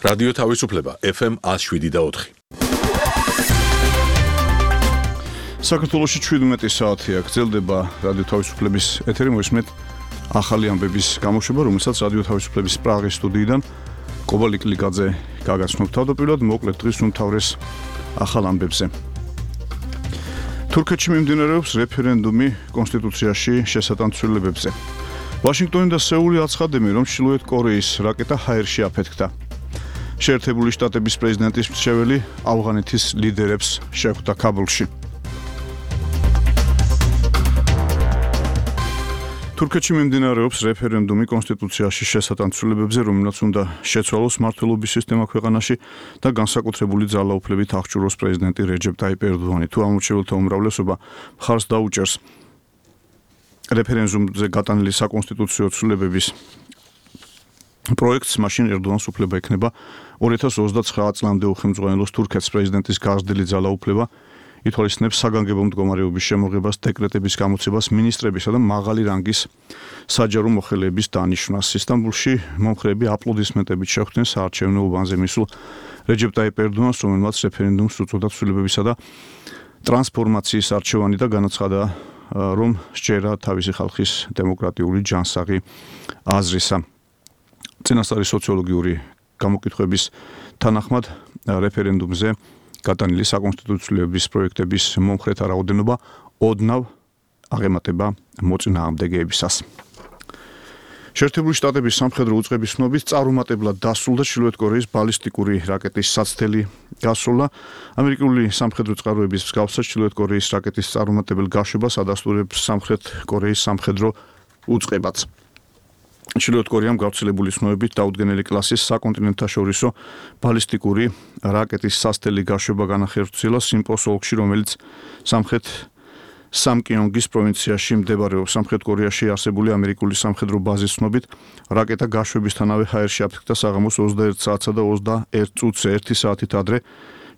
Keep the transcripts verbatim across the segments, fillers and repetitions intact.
რადიო თავისუფლება ეფ ემ ათს შვიდი და ოთხი. საქართველოში შვიდმეტი საათია გრძელდება რადიო თავისუფლების ეთერი, მოისმენთ ახალი ამბების გამოშვება, რომელსაც რადიო თავისუფლების პრაღის სტუდიიდან კობალტ ლიკაძე გაგაცნობთ. თავდაპირველად მოკლედ დღის უმთავრეს ახალ ამბებზე. თურქეთში მიმდინარეობს რეფერენდუმი კონსტიტუციაში შესატანცვლებებზე. ვაშინგტონი და სეული აცხადებენ, რომ ჩრდილოეთ კორეის რაკეტა ჰაერში აფეთქდა. შეერთებული შტატების პრეზიდენტის მრჩეველი ავღანეთის ლიდერებს შეხვდა ქაბულში. თურქეთში მიმდინარეობს რეფერენდუმი კონსტიტუციაში შესატანცვლებებზე, რომელსაც უნდა შეცვალოს მმართველობის სისტემა ქვეყანაში და განსაკუთრებული ძალაუფლებით აღჭურვოს პრეზიდენტი რეჯეპ ტაიპ ერდოღანი. თუ ამორჩეველთა უმრავლესობა მხარს დაუჭერს რეფერენდუმზე გატანილი საკონსტიტუციო ცვლილებების პროექტს, მაშინ ერდოღანს უფლება ექნება ორი ათას ოცდაცხრა წლამდე უხელმძღვანელოს თურქეთის პრეზიდენტის გაზრდილი ძალაუფლება, ითვალისწინებს საგანგებო მდგომარეობის შემოღებას, დეკრეტების გამოცებას, მინისტრებისა და მაღალი რანგის საჯარო მოხელეების დანიშვნას. ისტანბულში მომხრეები აპლოდისმენტებით შეხვდნენ საარჩევნო უბანზე მისულ რეჯეპ ტაიპ ერდოღანს, რომელმაც რეფერენდუმს უწოდა ცვლილებებისა და ტრანსფორმაციის არჩევანი და განაცხადა, რომ სჯერა თავისი ხალხის დემოკრატიული ჯანსაღი აზრისა. წინასწარი სოციოლოგიური გამოკითხვების თანახმად რეფერენდუმზე გატანილი საკონსტიტუციო პროექტების მომხრეთა რაოდენობა ოდნავ აღემატება მოწინააღმდეგეებისას. შეერთებული შტატების სამხედრო უწყების ცნობით წარუმატებლად დასრულდა ჩრდილოეთ კორეის ბალისტიკური რაკეტის საცდელი გასროლა. ამერიკული სამხედრო წყაროების მსგავსად ჩრდილოეთ კორეის რაკეტის წარუმატებელ გაშვებას ადასტურებს სამხრეთ კორეის სამხედრო უწყებაც. ჩრდილოეთ კორეამ გავრცელებული ცნობებით დაუდგენელი კლასის საკონტინენტთაშორისო ბალისტიკური რაკეტის სასტელი გაშვება განახორციელა სიმპოს ოლქში, რომელიც სამხრეთ სამკიონგის პროვინციაში მდებარეობს. სამხრეთ კორეაში არსებული ამერიკული სამხედრო ბაზის ცნობით რაკეტა გაშვებისთანავე ჰაერში აფეთქდა საღამოს ოცდაერთ საათსა და ოცდაერთ წუთზე ერთი საათით ადრე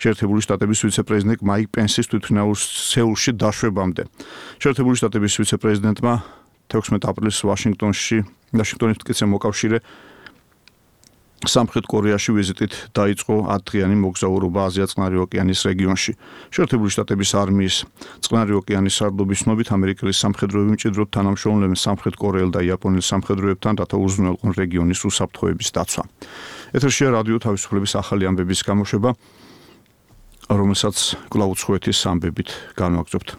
შეერთებული შტატების ვიცე-პრეზიდენტ მაიკ პენსის თვითმფრინავის სეულში დაშვებამდე. შეერთებული შტატების ვიცე-პრეზიდენტმა თექვსმეტ აპრილს ვაშინგტონში ვაშინგტონის მტკიცე მოკავშირე სამხრეთ კორეაში ვიზიტით დაიწყო ათდღიანი მოგზაურობა აზია-წყნარი ოკეანის რეგიონში. შეერთებული შტატების არმიის წყნარი ოკეანის სარდლობის ცნობით ამერიკელი სამხედროები მჭიდროდ თანამშრომლობენ სამხრეთ კორეელ და იაპონელ სამხედროებთან, რათა უზრუნველყონ რეგიონის უსაფრთხოების დაცვა. ეთერშია რადიო თავისუფლების ახალი ამბების გამოშვება, რომელსაც კვლავ უცხოეთის ამბებით განვაგრძობთ.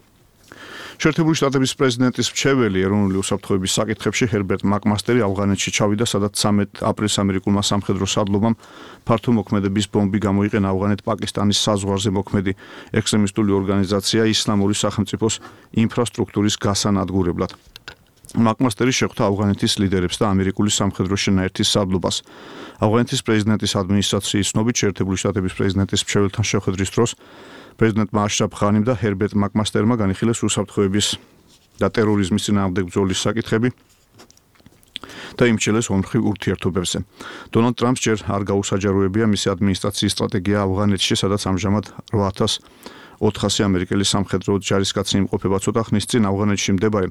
შეერთებული შტატების პრეზიდენტის მრჩეველი ეროვნული უსაფრთხოების საკითხებში ჰერბერტ მაკმასტერი ავღანეთში ჩავიდა, სადაც ცამეტ აპრილს ამერიკულმა სამხედრო სარდლობამ ფართო მოქმედების ბომბი გამოიყენა ავღანეთ-პაკისტანის საზღვარზე მოქმედი ექსტრემისტული ორგანიზაცია ისლამური სახელმწიფოს ინფრასტრუქტურის გასანადგურებლად. მაკმასტერი შეხვდა ავღანეთის ლიდერებს და ამერიკული სამხედრო შენაერთის სარდლობას. ავღანეთის პრეზიდენტის ადმინისტრაციის ცნობით შეერთებული შტატების პრეზიდენტის მრჩეველთან შეხვედრის დროს პრეზიდენტმა აშრაფ ღანიმ და ჰერბერტ მაკმასტერმა განიხილეს უსაფრთხოების და ტერორიზმის წინააღმდეგ ბრძოლის საკითხები და იმჩნევეს ორმხრივ ურთიერთობებზე. დონალდ ტრამპს ჯერ არ გაუსაჯაროებია მისი ადმინისტრაციის სტრატეგია ავღანეთში, სადაც ამჟამად რვა ათას ოთხასი ამერიკელი სამხედრო ჯარისკაცი იმყოფება. ცოტა ხნის წინ ავღანეთში მდებარე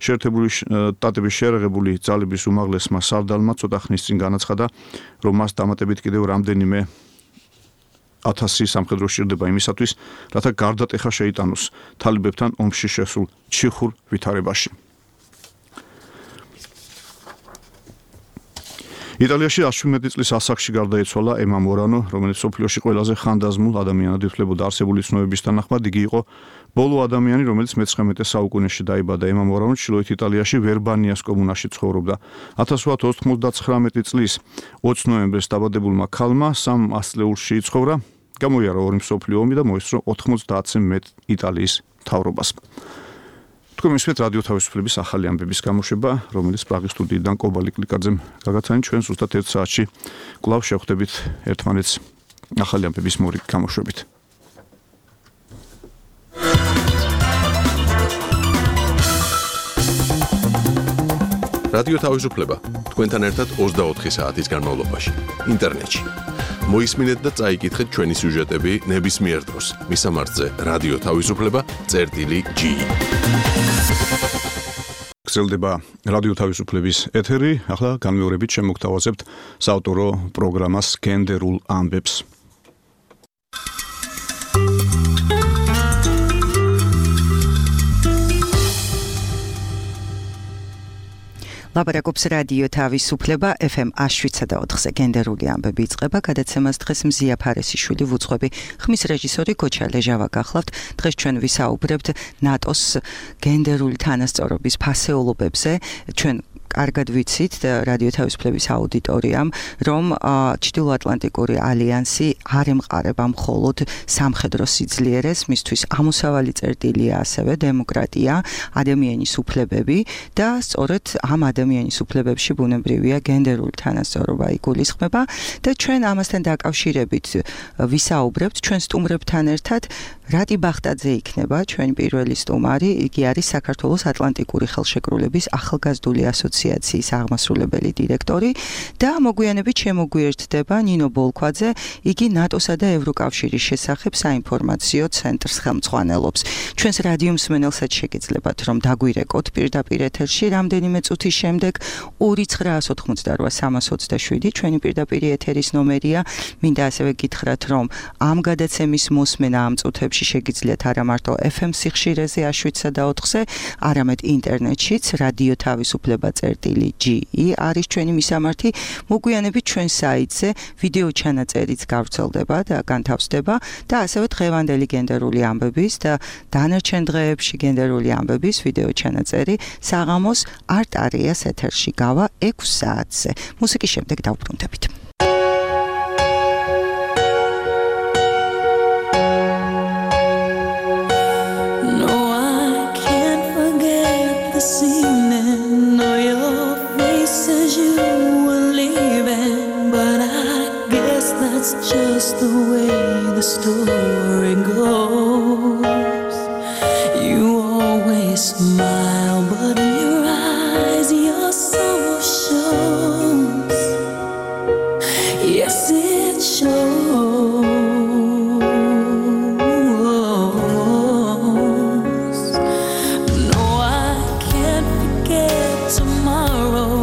შეერთებული შტატების შეერაღებული ძალების უმაღლესმა სარდალმა ცოტა ხნის წინ განაცხადა, რომ მას დამატებით კიდევ რამდენიმე ათასი სამხედრო სჭირდება იმისათვის, რათა გარდატეხა შეიტანოს თალიბებთან ომში შესულ ჩიხურ ვითარებაში. იტალიაში ათი წლის ასაკში გარდაიცვალა ემა მორანო, რომელიც მსოფლიოში ყველაზე ხანდაზმულ ადამიანად ითვლებოდა. არსებული ცნობების თანახმად იგი იყო ბოლო ადამიანი, რომელიც მეცხრამეტე საუკუნეში დაიბადა. ემა მორანო ჩრდილოეთ იტალიაში ვერბანიას კომუნაში ცხოვრობდა. ათას ათას ოცდათოთხმეტი წლის ოცი ნოემბერს დაბადებულმა ქალმა სამ ასწლეულში იცხოვრა, გამოიარა ორი მსოფლიო ომი და მოისწრო ოთხმოცდაათზე მეტ იტალიის მთავრობას. თქვენ მისმენთ რადიო თავისუფლების ახალი ამბების გამოშვება, რომელიც პრაღის სტუდიიდან კობალტ ლიკაძემ გაგაცანით. ჩვენ ზუსტად ერთ საათში კვლავ შევხვდებით ერთმანეთს ახალი ამბების მორიგ გამოშვებით. რადიო თავისუფლება თქვენთან ერთად ოცდაოთხი საათის განმავლობაში ინტერნეტში. მოისმინეთ და წაიკითხეთ ჩვენი სიუჟეტები ნებისმიერ დროს. მისამართზე რადიო თავისუფლება წერტილი ჯი. გრძელდება რადიო თავისუფლების ეთერი. ახლა განმეორებით შემოგთავაზებთ საავტორო პროგრამას გენდერულ ამბებს. ლაპარაკობს რადიო თავისუფლება ეფ ემ one seven ოთხზე გენდერული ამბები იწყება. გადაცემას დღეს მზია ფარესიშვილი ვუძღვები. ხმის რეჟისორი გოჩა ლეჟავა გახლავთ. დღეს ჩვენ ვისაუბრებთ ნატოს გენდერული თანასწორობის ფასეულობებზე. ჩვენ კარგად ვიცით რადიო თავისუფლების აუდიტორიამ, რომ ჩრდილოატლანტიკური ალიანსი არ ემყარება მხოლოდ სამხედრო სიძლიერეს, მისთვის ამოსავალი წერტილია ასევე დემოკრატია, ადამიანის უფლებები და სწორედ ამ ადამიანის უფლებებში ბუნებრივია გენდერული თანასწორობა იგულისხმება და ჩვენ ამასთან დაკავშირებით ვისაუბრებთ ჩვენ სტუმრებთან ერთად. რატი ბახტაძე იქნება ჩვენი პირველი სტუმარი, იგი არის საქართველოს ატლანტიკური ხელშეკრულების ახალგაზრდული ასოციაციის აღმასრულებელი დირექტორი და მოგვიანებით შემოგვიერთდება ნინო ბოლქვაძე, იგი ნატოსა და ევროკავშირის შესახებ საინფორმაციო ცენტრს ხელმძღვანელობს. ჩვენს რადიო მსმენელსაც შეგეძლებათ, რომ დაგვირეკოთ პირდაპირ ეთერში რამდენიმე წუთის შემდეგ ორი ცხრაას ოთხმოცდარვა სამას ოცდაშვიდი ჩვენი პირდაპირ ეთერის ნომერია. მინდა ასევე გითხრათ, რომ ამ გადაცემის მოსმენა ამ წუთებში შეგიძლიათ არა მარტო ეფ ემ სიხშირეზე one seven ოთხზე, არამედ ინტერნეტშიც რადიო თავისუფლება წერტილი ჯი ი არის ჩვენი მისამართი. მოგვიანებით ჩვენ საიტზე ვიდეო ჩანაწერიც გავრცელდება და განთავსდება და ასევე დღევანდელი გენდერული ამბების და დანარჩენ დღეებში გენდერული ამბების ვიდეო ჩანაწერი საღამოს არტარიას ეთერში გავა ექვს საათზე. მუსიკის შემდეგ დავბრუნდებით. Just the way the story goes. You always smile, but in your eyes your sorrow shows. Yes, it shows. No, I can't forget tomorrow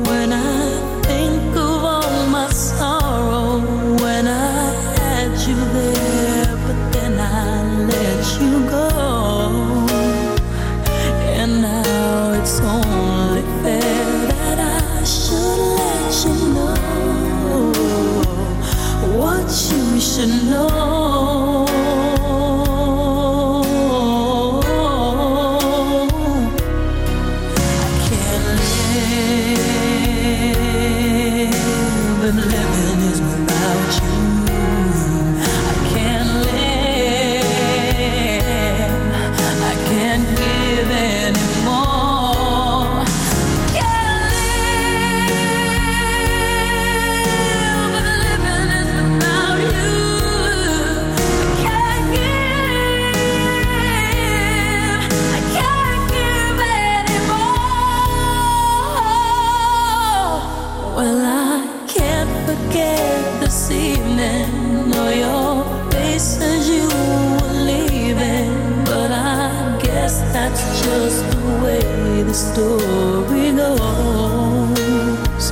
when I think of all my sorrow. You there, but then I let you go, and now it's only fair that I should let you know what you should know. I can't live, and living is without you. That's just the way the story goes.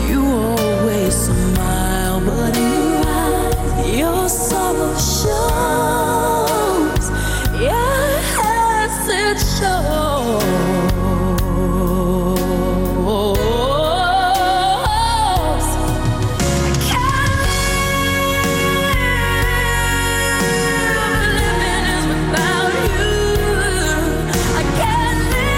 You always smile, but in your eyes your sorrow shows. Yes, it shows. I can't live.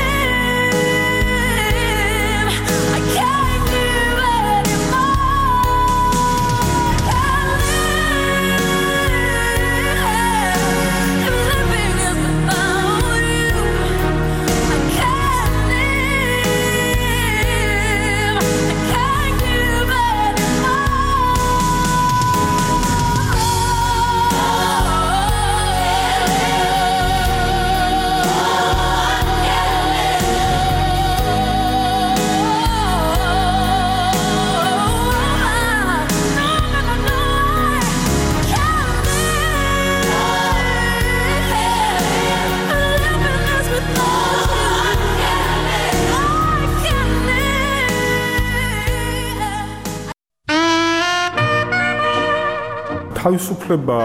თავისუფლება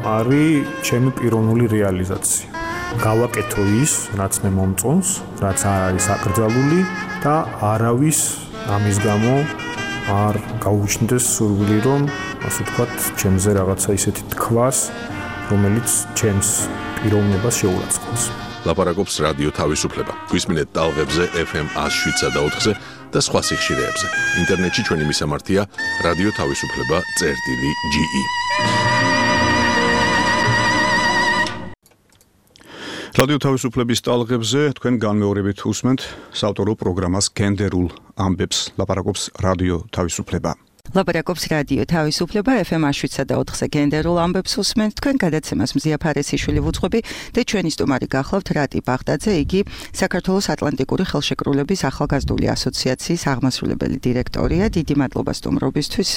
არის ჩემი პიროვნული რეალიზაცია. გავაკეთო ის, რაც მე მომწონს, რაც არ არის აკრძალული და არავის ამის გამო არ გაუჩნდეს სურვილი, რომ ასე ვთქვათ, ჩემზე რაღაცა ისეთი თქვას, რომელიც ჩემს პიროვნებას შეურაცხყოფს. ლაპარაკობს რადიო თავისუფლება. გვისმინეთ ტალღებზე ეფ ემ one oh seven და four და სხვა სიხშირეებზე. ინტერნეტში ჩვენი მისამართია რადიო თავისუფლება წერტილი ჯი ი. რადიო თავისუფლების ტალღებზე თქვენ განმეორებით უსმენთ საავტორო პროგრამას გენდერულ ამბებს. ლაპარაკობს რადიო თავისუფლება. ლაპარაკობს რადიო თავისუფლება ეფ ემ one oh seven და four-ზე გენდერულ ამბებს უსმენთ. თქვენ გადაცემას მზია ფარესიშვილი ვუძღვები და ჩვენი სტუმარი გახლავთ რატი ბაღდაძე. იგი საქართველოს ატლანტიკური ხელშეკრულების ახალგაზრდული ასოციაციის აღმასრულებელი დირექტორია. დიდი მადლობა სტუმრობისთვის.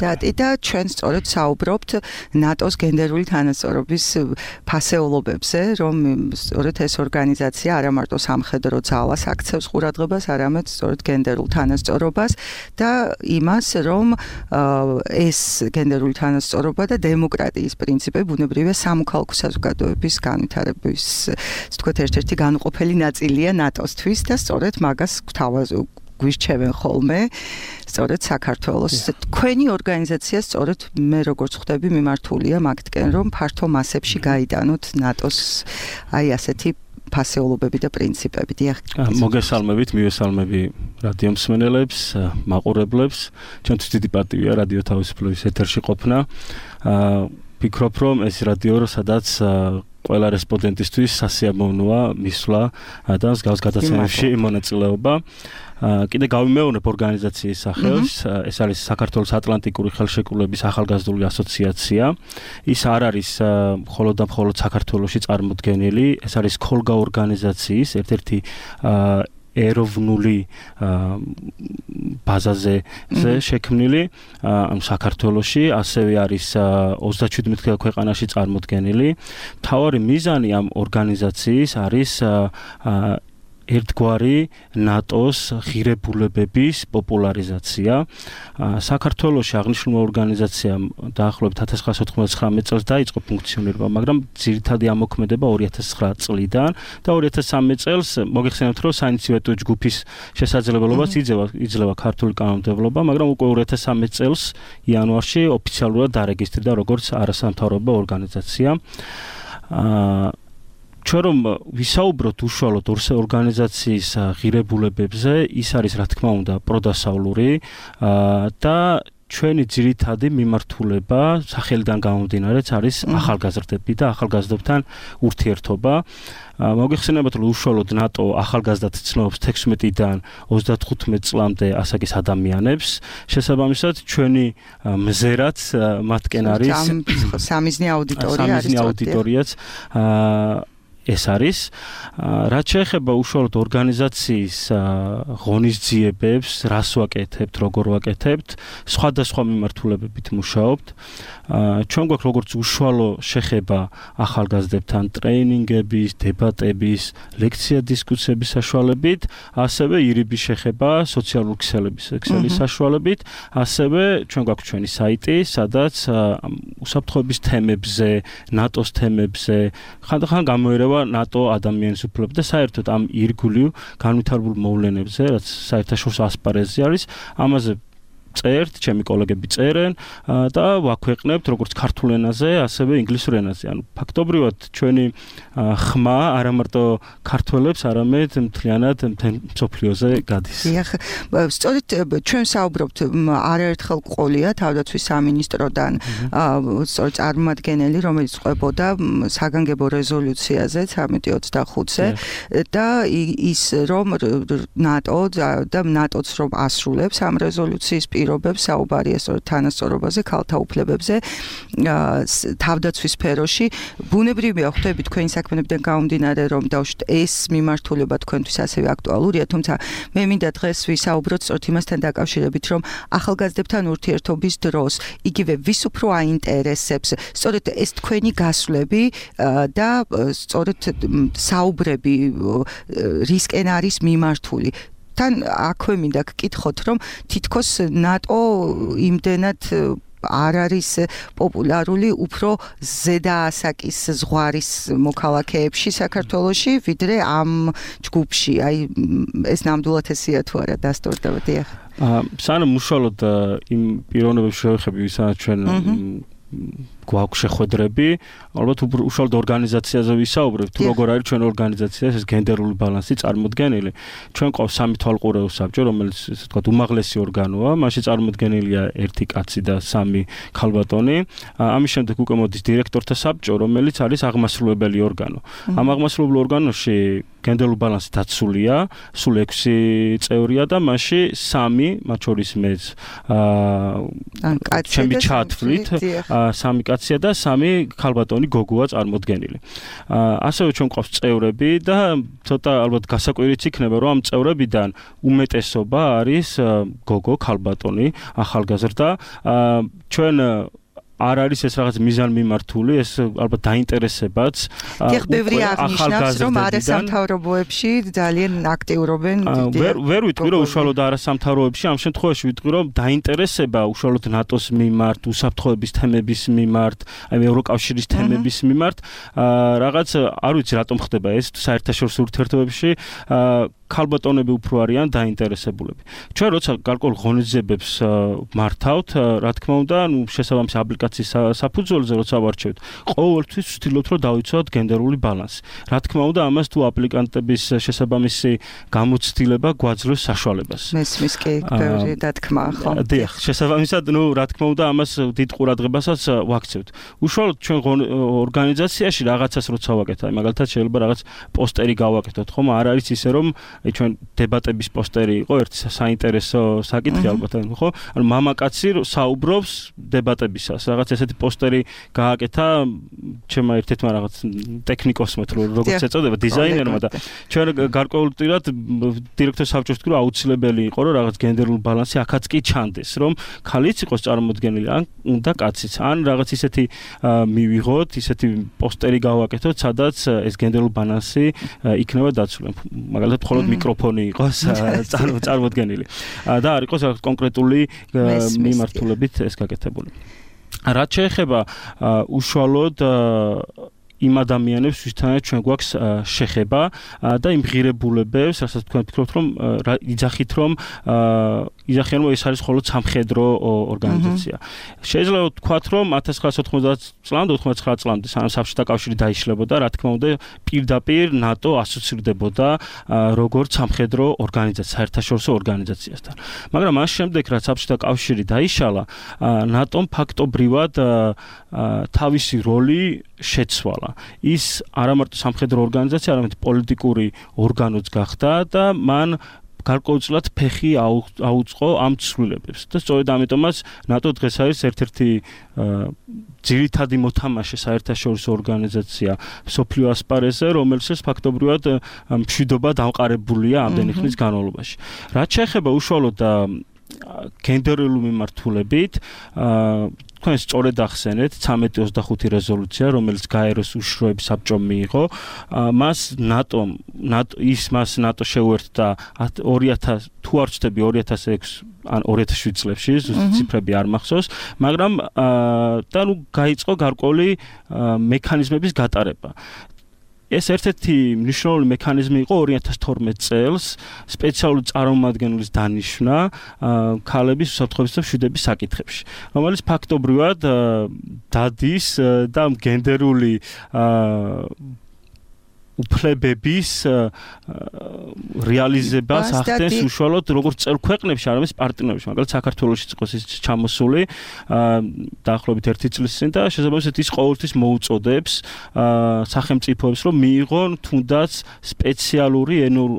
რატი და ჩვენ სწორედ საუბრობთ ნატოს გენდერული თანასწორობის ფასეულობებზე, რომ სწორედ ეს ორგანიზაცია არა მარტო სამხედრო ძალას აქცევს ყურადღებას, არამედ სწორედ გენდერულ თანასწორობას და იმას, რომ ეს გენდერული თანასწორობა და დემოკრატიის პრინციპები ბუნებრივია სამოქალაქო საზოგადოების განვითარების, ასე ვთქვათ, ერთ-ერთი განუყოფელი ნაწილია ნატოსთვის და სწორედ მაგას გვირჩევენ ხოლმე, სწორედ საქართველოს. თქვენი ორგანიზაცია სწორედ მე როგორც ხვდები მიმართულია მაგთკენ, რომ ფართო მასებში გაიტანოთ ნატოს აი ასეთი ფასეულობები და პრინციპები. დიახ. მოგესალმებით, მივესალმები რადიო მსმენელებს, მაყურებლებს. ჩვენთვის დიდი პატივია რადიო თავისუფლების ეთერში ყოფნა. ვფიქრობ, რომ ეს რადიო, სადაც ყველა რესპონდენტისთვის სასიამოვნოა მისვლა და მსგავს გადაცემებში მონაწილეობა. კიდე გავიმეორებ ორგანიზაციის სახელს, ეს არის საქართველოს ატლანტიკური ხელშეკრულების ახალგაზრდული ასოციაცია. ის არ არის მხოლოდ და მხოლოდ საქართველოში წარმოდგენილი, ეს არის ქოლგა ორგანიზაციის ერთ-ერთი ეროვნული ბაზაზე შექმნილი საქართველოში, ასევე არის ოცდაშვიდ ქვეყანაში წარმოდგენილი. მთავარი მიზანი ამ ორგანიზაციის არის ერთგვარი ნატოს ღირებულებების პოპულარიზაცია. საქართველოში აღნიშნული ორგანიზაცია დაახლოებით one thousand nine hundred ninety-nine წელს დაიწყო ფუნქციონირება, მაგრამ ძირითადი ამოქმედება two thousand nine წლიდან და two thousand three წელს მოგეხსენებთ, რომ საინიციატივო ჯგუფის შესაძლებლობას იძლევა იძლევა ქართული კანონმდებლობა, მაგრამ უკვე two thousand three წელს იანვარში ოფიციალურად დარეგისტრირდა როგორც არასამთავრობო ორგანიზაცია. ჩვენ რომ ვისაუბროთ უშუალოდ ორგანიზაციის ღირებულებებზე, ის არის რა თქმა უნდა პროდასავლური და ჩვენი ძირითადი მიმართულება სახელიდან გამომდინარეც არის ახალგაზრდები და ახალგაზრდებთან ურთიერთობა. მოგეხსენებათ, რომ უშუალოდ ნატო ახალგაზრდად ცნობს თექვსმეტიდან ოცდათხუთმეტ წლამდე ასაკის ადამიანებს. შესაბამისად, ჩვენი მზერაც მათკენ არის სამიზნე აუდიტორია არის. სამიზნე აუდიტორიაც ეს არის. რაც შეეხება უშუალოდ ორგანიზაციის ღონისძიებებს, რას ვაკეთებთ, როგორ ვაკეთებთ, სხვადასხვა მიმართულებებით მუშაობთ. ჩვენ გვაქვს როგორც უშუალო შეხება ახალგაზრდებთან ტრეინინგების, დებატების, ლექცია-დისკუსიების საშუალებით, ასევე ირიბის შეხება სოციალური ქსელების ქსელის საშუალებით, ასევე ჩვენ გვაქვს ჩვენი საიტი, სადაც უსაფრთხოების თემებზე, ნატოს თემებზე, ხანდახან გამოირევა ნატო ადამიანის უფლებები და საერთოდ ამ ირგვლივ განვითარებულ მოვლენებზე, რაც საერთაშორისო ასპარეზზე არის, ამაზე წერთ, ჩემი კოლეგები წერენ და ვაქვეყნებთ როგორც ქართულ ენაზე, ასევე ინგლისურ ენაზე. ანუ ფაქტობრივად ჩვენი ხმა არა მარტო ქართველებს, არამედ მთლიანად მთელ მსოფლიოზე გადის. დიახ, სწორედ ჩვენ საუბრობთ არაერთხელ ყოლია თავდაცვის სამინისტროდან სწორედ წარმომადგენელი, რომელიც ყვებოდა საგანგებო რეზოლუციაზე ცხრამეტი ოცდახუთზე და ის რომ ნატო და ნატოც რომ ასრულებს ამ რეზოლუციის პირობებს, საუბარია სწორედ თანასწორობაზე, ქალთა უფლებებზე თავდაცვის სფეროში. ბუნებრივია ხვდები თქვენი საქმიანობიდან გამომდინარე, რომ დავშვით ეს მიმართულება თქვენთვის ასევე აქტუალურია, თუმცა მე მინდა დღეს ვისაუბროთ სწორედ იმასთან დაკავშირებით, რომ ახალგაზრდებთან ურთიერთობის დროს იგივე ვის უფრო აინტერესებს სწორედ ეს თქვენი გასვლები და სწორედ საუბრები რისკენ არის მიმართული. თან აქვე მინდა გკითხოთ, რომ თითქოს ნატო იმდენად არ არის პოპულარული უფრო ზედა ასაკის ზღვარის მოქალაქეებში საქართველოში, ვიდრე ამ ჯგუფში. აი ეს ნამდვილად ესეა თუ არა დასტურდება დიახ. სანამ უშუალოდ იმ პიროვნებებს შევეხები, ვისაც ჩვენ გვაქვს შეხვედრები, ალბათ უშუალოდ ორგანიზაციაზე ვისაუბრებ, თუ როგორ არის ჩვენ ორგანიზაცია, ეს გენდერული ბალანსი წარმოდგენილი. ჩვენ ყავს სამი თვალყურეო საბჭო, რომელიც ესე ვთქვათ უმაღლესი ორგანოა, მასში წარმოდგენილია ერთი კაცი და სამი ქალბატონი. ამის შემდეგ უკვე მოდის დირექტორთა საბჭო, რომელიც არის აღმასრულებელი ორგანო. ამ აღმასრულებელ ორგანოში გენდერული ბალანსი დაცულია, სულ ექვსი წევრია და მასში სამი, მათ შორის მეც აა ჩემი ჩათვლით, სამი კაცია და სამი ქალბატონი გოგოა წარმოდგენილი. ასევე ჩვენ ყავს წევრები და ცოტა ალბათ გასაკვირიც იქნება, რომ ამ წევრებიდან უმეტესობა არის გოგო, ქალბატონი, ახალგაზრდა. ჩვენ არ არის ეს რაღაც მიზანმიმართული, ეს ალბათ დაინტერესებაც. დიახ, ბევრი აღნიშნავს, რომ არასამთავრობოებში ძალიან აქტიურობენ. ვერ ვერ ვიტყვი, რომ უშუალოდ არასამთავრობოებში, ამ შემთხვევაში ვიტყვი, რომ დაინტერესება უშუალოდ ნატოს მიმართ, უსაფრთხოების თემების მიმართ, აი ევროკავშირის თემების მიმართ, რაღაც არ ვიცი რატომ ხდება ეს საერთაშორისო ურთიერთობებში, ქალბატონები უფრო არიან დაინტერესებულები. ჩვენ როცა გარკვეულ ღონისძიებებს მართავთ, რა თქმა უნდა, ნუ შესაბამისი აპლიკაციის საფუძველზე როცა ვარჩევთ, ყოველთვის ვცდილობთ, რომ დავიცვათ გენდერული ბალანსი. რა თქმა უნდა, ამას თუ აპლიკანტების შესაბამისი გამოცდილება გვაძლევს საშუალებას. მესმის კი ბევრი დათქმა, ხო? დიახ, შესაბამისად, ნუ რა თქმა უნდა, ამას დიდ ყურადღებასაც ვაქცევთ. უშუალოდ ჩვენ ორგანიზაციაში რაღაცას როცა ვაკეთებთ, აი მაგალითად შეიძლება რაღაც პოსტერი გავაკეთოთ, ხომ? არ არის ისე რომ აი ჩვენ დებატების პოსტერი იყო ერთი საინტერესო საკითხი ალბათ, ხო? ანუ მამაკაცი საუბრობს დებატებისას. რაღაც ესეთი პოსტერი გააკეთა ჩემმა ერთ-ერთმა რაღაც ტექნიკოსმა თუ როგორც ეწოდება, დიზაინერმა და ჩვენ გარკვეულწილად დირექტორ საბჭოს ვთქვი, რომ აუცილებელი იყო, რომ რაღაც გენდერული ბალანსი აქაც კი ჩანდეს, რომ ქალიც იყოს წარმოდგენილი, ან უნდა კაციც. ან რაღაც ისეთი მივიღოთ, ისეთი პოსტერი გავაკეთოთ, სადაც ეს გენდერული ბალანსი იქნება დაცული. მაგალითად მხოლოდ მიკროფონი იყოს წარმოდგენილი და არ იყოს რაღაც კონკრეტული მიმართულებით ეს გაკეთებული. რაც შეეხება უშუალოდ იმ ადამიანებს, ვისთანაც ჩვენ გვაქვს შეხება და იმ ღირებულებებს, რასაც თქვენ ფიქრობთ, რომ იძახით, რომ იძახიან, რომ ეს არის მხოლოდ სამხედრო ორგანიზაცია. შეიძლება ვთქვათ, რომ ათას ცხრაასი ოთხმოცდაათ წლამდე, ოთხმოცდათრიალე წლამდე, სანამ საბჭოთა კავშირი დაიშლებოდა, რა თქმა უნდა, პირდაპირ ნატო ასოცირდებოდა როგორც სამხედრო ორგანიზაცია, საერთაშორისო ორგანიზაციასთან. მაგრამ მას შემდეგ, რაც საბჭოთა კავშირი დაიშალა, ნატომ ფაქტობრივად თავისი როლი შეცვალა. ის არამარტო სამხედრო ორგანიზაცია, არამედ პოლიტიკური ორგანოც გახდა და მან გარკვეულწილად ფეხი აუწყო ამ ცვლილებებს. და სწორედ ამიტომაც ნატო დღეს არის ერთ-ერთი ძირითადი მოთამაშე საერთაშორისო ორგანიზაცია მსოფლიო ასპარეზზე, რომელსაც ფაქტობრივად მშვიდობა დამყარებულია ამდენი ხნის განმავლობაში. რაც შეეხება უშუალოდ გენდერული მიმართულებით, თქვენ სწორედ ახსენეთ ცამეტი ოცდახუთი რეზოლუცია, რომელიც გაეროს უშიშროების საბჭომ მიიღო, მას ნატო ის მას ნატო შეუერთდა ორი ათას თუ არ ვცდები ორი ათას ექვსი ან ორი ათას შვიდ წლებში, ზუსტი ციფრები არ მახსოვს, მაგრამ და ნუ გაიწყო გარკვეული მექანიზმების გატარება. ეს ერთ-ერთი მნიშვნელოვანი მექანიზმი იყო ორი ათას თორმეტ წელს სპეციალური წარმომადგენლის დანიშვნა ქალების უსაფრთხოების და მშვიდობის საკითხებში, რომელიც ფაქტობრივად დადის და გენდერული უფლებების რეალიზებას ახდენს უშუალოდ როგორც წევრ ქვეყნებში, არამედ პარტნიორებში. მაგალითად საქართველოში იყო ის ჩამოსული დაახლოებით ერთი წლის წინ და შესაბამისად ის ყოველთვის მოუწოდებს სახელმწიფოებს, რომ მიიღონ თუნდაც სპეციალური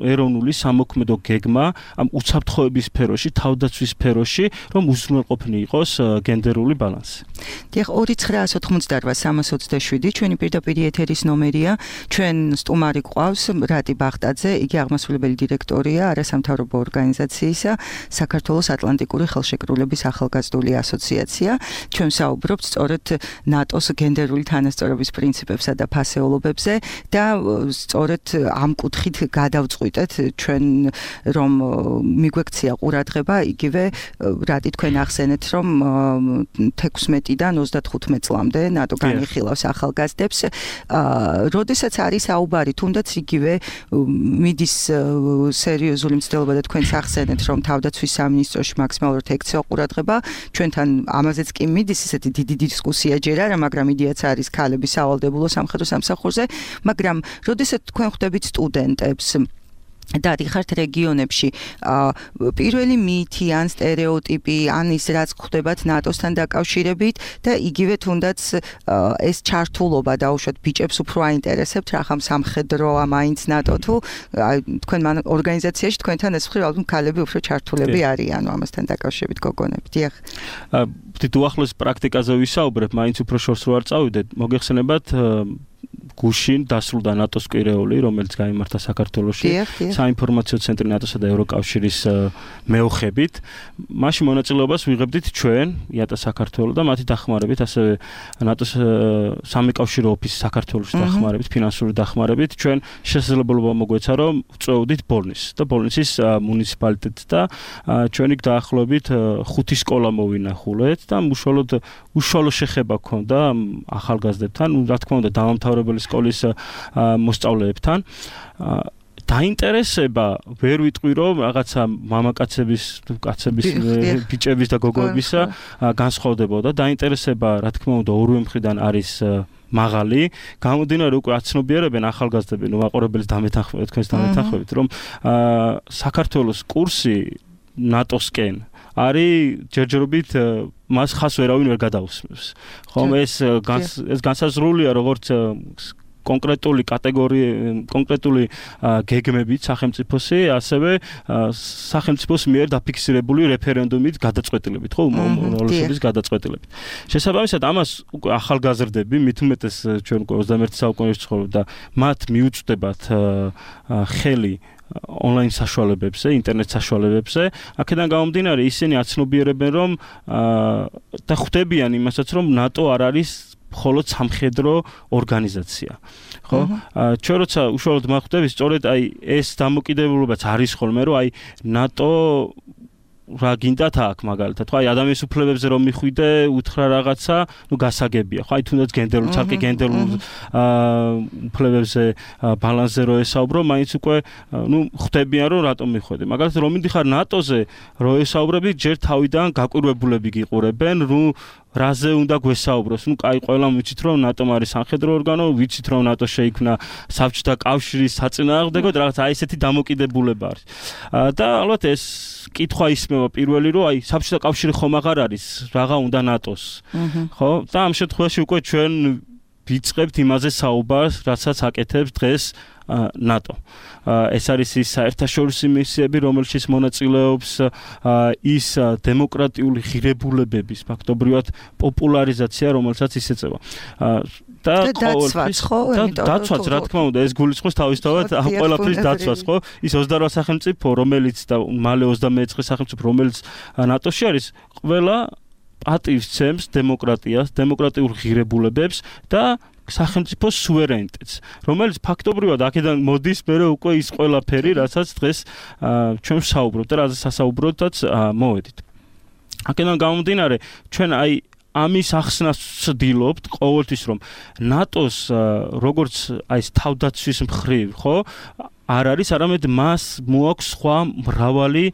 ეროვნული სამოქმედო გეგმა ამ უსაფრთხოების სფეროში, თავდაცვის სფეროში, რომ უზრუნველყოფილი იყოს გენდერული ბალანსი. დიახ, ორი ცხრაასი ოთხმოცდაოთხ სამას ოცდაშვიდი ჩვენი პირდაპირ ეთერის ნომერია. ჩვენ სტუმარი გვყავს რატი ბახტაძე, იგი აღმასრულებელი დირექტორია არასამთავრობო ორგანიზაციისა საქართველოს ატლანტიკური ხელშეკრულების ახალგაზრდული ასოციაცია. ჩვენ საუბრობთ სწორედ ნატოს გენდერული თანასწორობის პრინციპებსა და ფასეულობებზე და სწორედ ამ კუთხით გადავწყვიტეთ ჩვენ რომ მიგვექცია ყურადღება, იგივე რატი თქვენ ახსენეთ რომ თექვსმეტიდან ოცდათხუთმეტ წლამდე ნატო განიხილავს ახალგაზრდებს. როდესაც არის საუბარი, თუნდაც იგივე მიდის სერიოზული მცდელობა და თქვენს ახსენეთ რომ თავდაცვის სამინისტროში მაქსიმალურად ექცევა ყურადღება, ჩვენთან ამაზეც კი მიდის ისეთი დიდი დისკუსია ჯერ არა, მაგრამ იდეაც არის ქალების სავალდებულო სამხედრო სამსახურზე, მაგრამ როდესაც თქვენ ხვდებით სტუდენტებს და დიხართ რეგიონებში, პირველი მითი ან სტერეოტიპი ან ის რაც ხვდებათ ნატოსთან დაკავშირებით და იგივე თუნდაც ეს ჩართულობა დაუშვათ ბიჭებს უფრო აინტერესებთ რახამ სამხედროა მაინც ნატო თუ თქვენ ორგანიზაციაში თქვენთან ეს მხრივ ალბათ ქალები უფრო ჩართულები არიან ამასთან დაკავშირებით გოგონები. დიახ. ვთით უახლოეს პრაქტიკაზე ვისაუბრებ, მაინც უფრო შორს რო არ წავიდეთ, მოგეხსენებათ გუშინ დასრულდა ნატოს კვირეული, რომელიც გაიმართა საქართველოში საინფორმაციო ცენტრი ნატოსა და ევროკავშირის მეოხებით. მაშინ მონაწილეობას ვიღებდით ჩვენ, იატა საქართველო და მათი დახმარებით, ასევე ნატოს სამეკავშირო ოფისი საქართველოში დახმარებით, ფინანსური დახმარებით, ჩვენ შესაძლებლობა მოგვეცა, რომ ვწვევდით ბოლნისს და ბოლნისის მუნიციპალიტეტს და ჩვენი დაახლოებით ხუთი სკოლა მოვინახულეთ და უშუალოდ უშუალო შეხება ჰქონდა ახალგაზრდებთან, რა თქმა უნდა დამამთავრებელი სკოლის მოსწავლეებთან. დაინტერესება ვერ ვიტყვი რომ რაღაცა მამაკაცების, კაცების, ბიჭების და გოგოებისა განსხვავდებოდა. დაინტერესება, რა თქმა უნდა, ორივე მხრიდან არის მაღალი, გამომდინარე უკვე აცნობიერებენ ახალგაზრდები, ნუ მაყურებლის დამეთანხმებით, თქვენს დამეთანხმებით, რომ საქართველოს კურსი ნატოსკენ არის ჯერჯერობით მას ხას ვერავინ ვერ გადაუსმევს. ხომ ეს ეს განსაზღვრულია როგორც კონკრეტული კატეგორია, კონკრეტული გეგმებით სახელმწიფოსი, ასევე სახელმწიფოს მიერ დაფიქსირებული რეფერენდუმით გადაწყვეტილებით, ხო, უმრავლესობის გადაწყვეტილებით. შესაბამისად, ამას უკვე ახალგაზრდები, მით უმეტეს ჩვენ უკვე ოცდამეერთე საუკუნეში ცხოვრობთ და მათ მიუწვდებათ ხელი ონლაინ საშუალებებზე, ინტერნეტ საშუალებებზე, აქედან გამომდინარე ისინი აცნობიერებენ რომ და ხვდებიან იმასაც რომ ნატო არ არის მხოლოდ სამხედრო ორგანიზაცია. ხო? ჩვენ როცა უშუალოდ მახვდები, სწორედ აი ეს დამოკიდებულებაც არის ხოლმე, რომ აი ნატო რა გინდათ აქ მაგალითად, ხო, აი ადამიანის უფლებებზე რომ მიხვიდე, უთხრა რაღაცა, ნუ გასაგებია, ხო, აი თუნდაც გენდერულ, ცალკე გენდერულ უფლებებზე ბალანსზე რო ესაუბრო, მაინც უკვე ნუ ხვდებიან რომ რატომ მიხვედი. მაგალითად რომ მიდიხარ ნატოზე, რო ესაუბრები, ჯერ თავიდან გაკვირვებულები გიყურებენ, ნუ რაზე უნდა გვესაუბროს? ნუ კაი, ყველამ ვიცით რომ ნატომ არის სამხედრო ორგანო, ვიცით რომ ნატო შეიქმნა საბჭოთა კავშირის საწინააღმდეგოდ, რაღაც აი ესეთი დამოკიდებულება არის. და ალბათ ეს კითხვა ისმევა პირველი რომ აი საბჭოთა კავშირი ხომ აღარ არის, რაღა უნდა ნატოს. ხო? და ამ შემთხვევაში უკვე ჩვენ ვიწყებთ იმაზე საუბარს, რასაც აკეთებს დღეს ნატო. ეს არის ის საერთაშორისო მისიები, რომელშიც მონაწილეობს ის დემოკრატიული ღირებულებების ფაქტობრივად პოპულარიზაცია, რომელსაც ის ეწევა. და დაცვაც, ხო? დაცვაც, რა თქმა უნდა, ეს გულისხმობს თავისთავად ამ ყველაფრის დაცვას, ხო? ის ოცდარვა სახელმწიფო, რომელიც და მალე ოცდამეოთხე სახელმწიფო, რომელიც ნატოში არის, ყველა პატივს ცემს დემოკრატიას, დემოკრატიულ ღირებულებებს და სახელმწიფოს სუვერენიტეტს, რომელიც ფაქტობრივად აქედან მოდის მერე უკვე ის ყველაფერი, რასაც დღეს ჩვენ ვსაუბრობთ და რაზეც სასაუბროდაც მოვედით. აქედან გამომდინარე, ჩვენ აი ამის ახსნას ვცდილობთ ყოველთვის, რომ ნატოს როგორც აი ეს თავდაცვის მხრივ, ხო, არ არის, არამედ მას მოაქვს სხვა მრავალი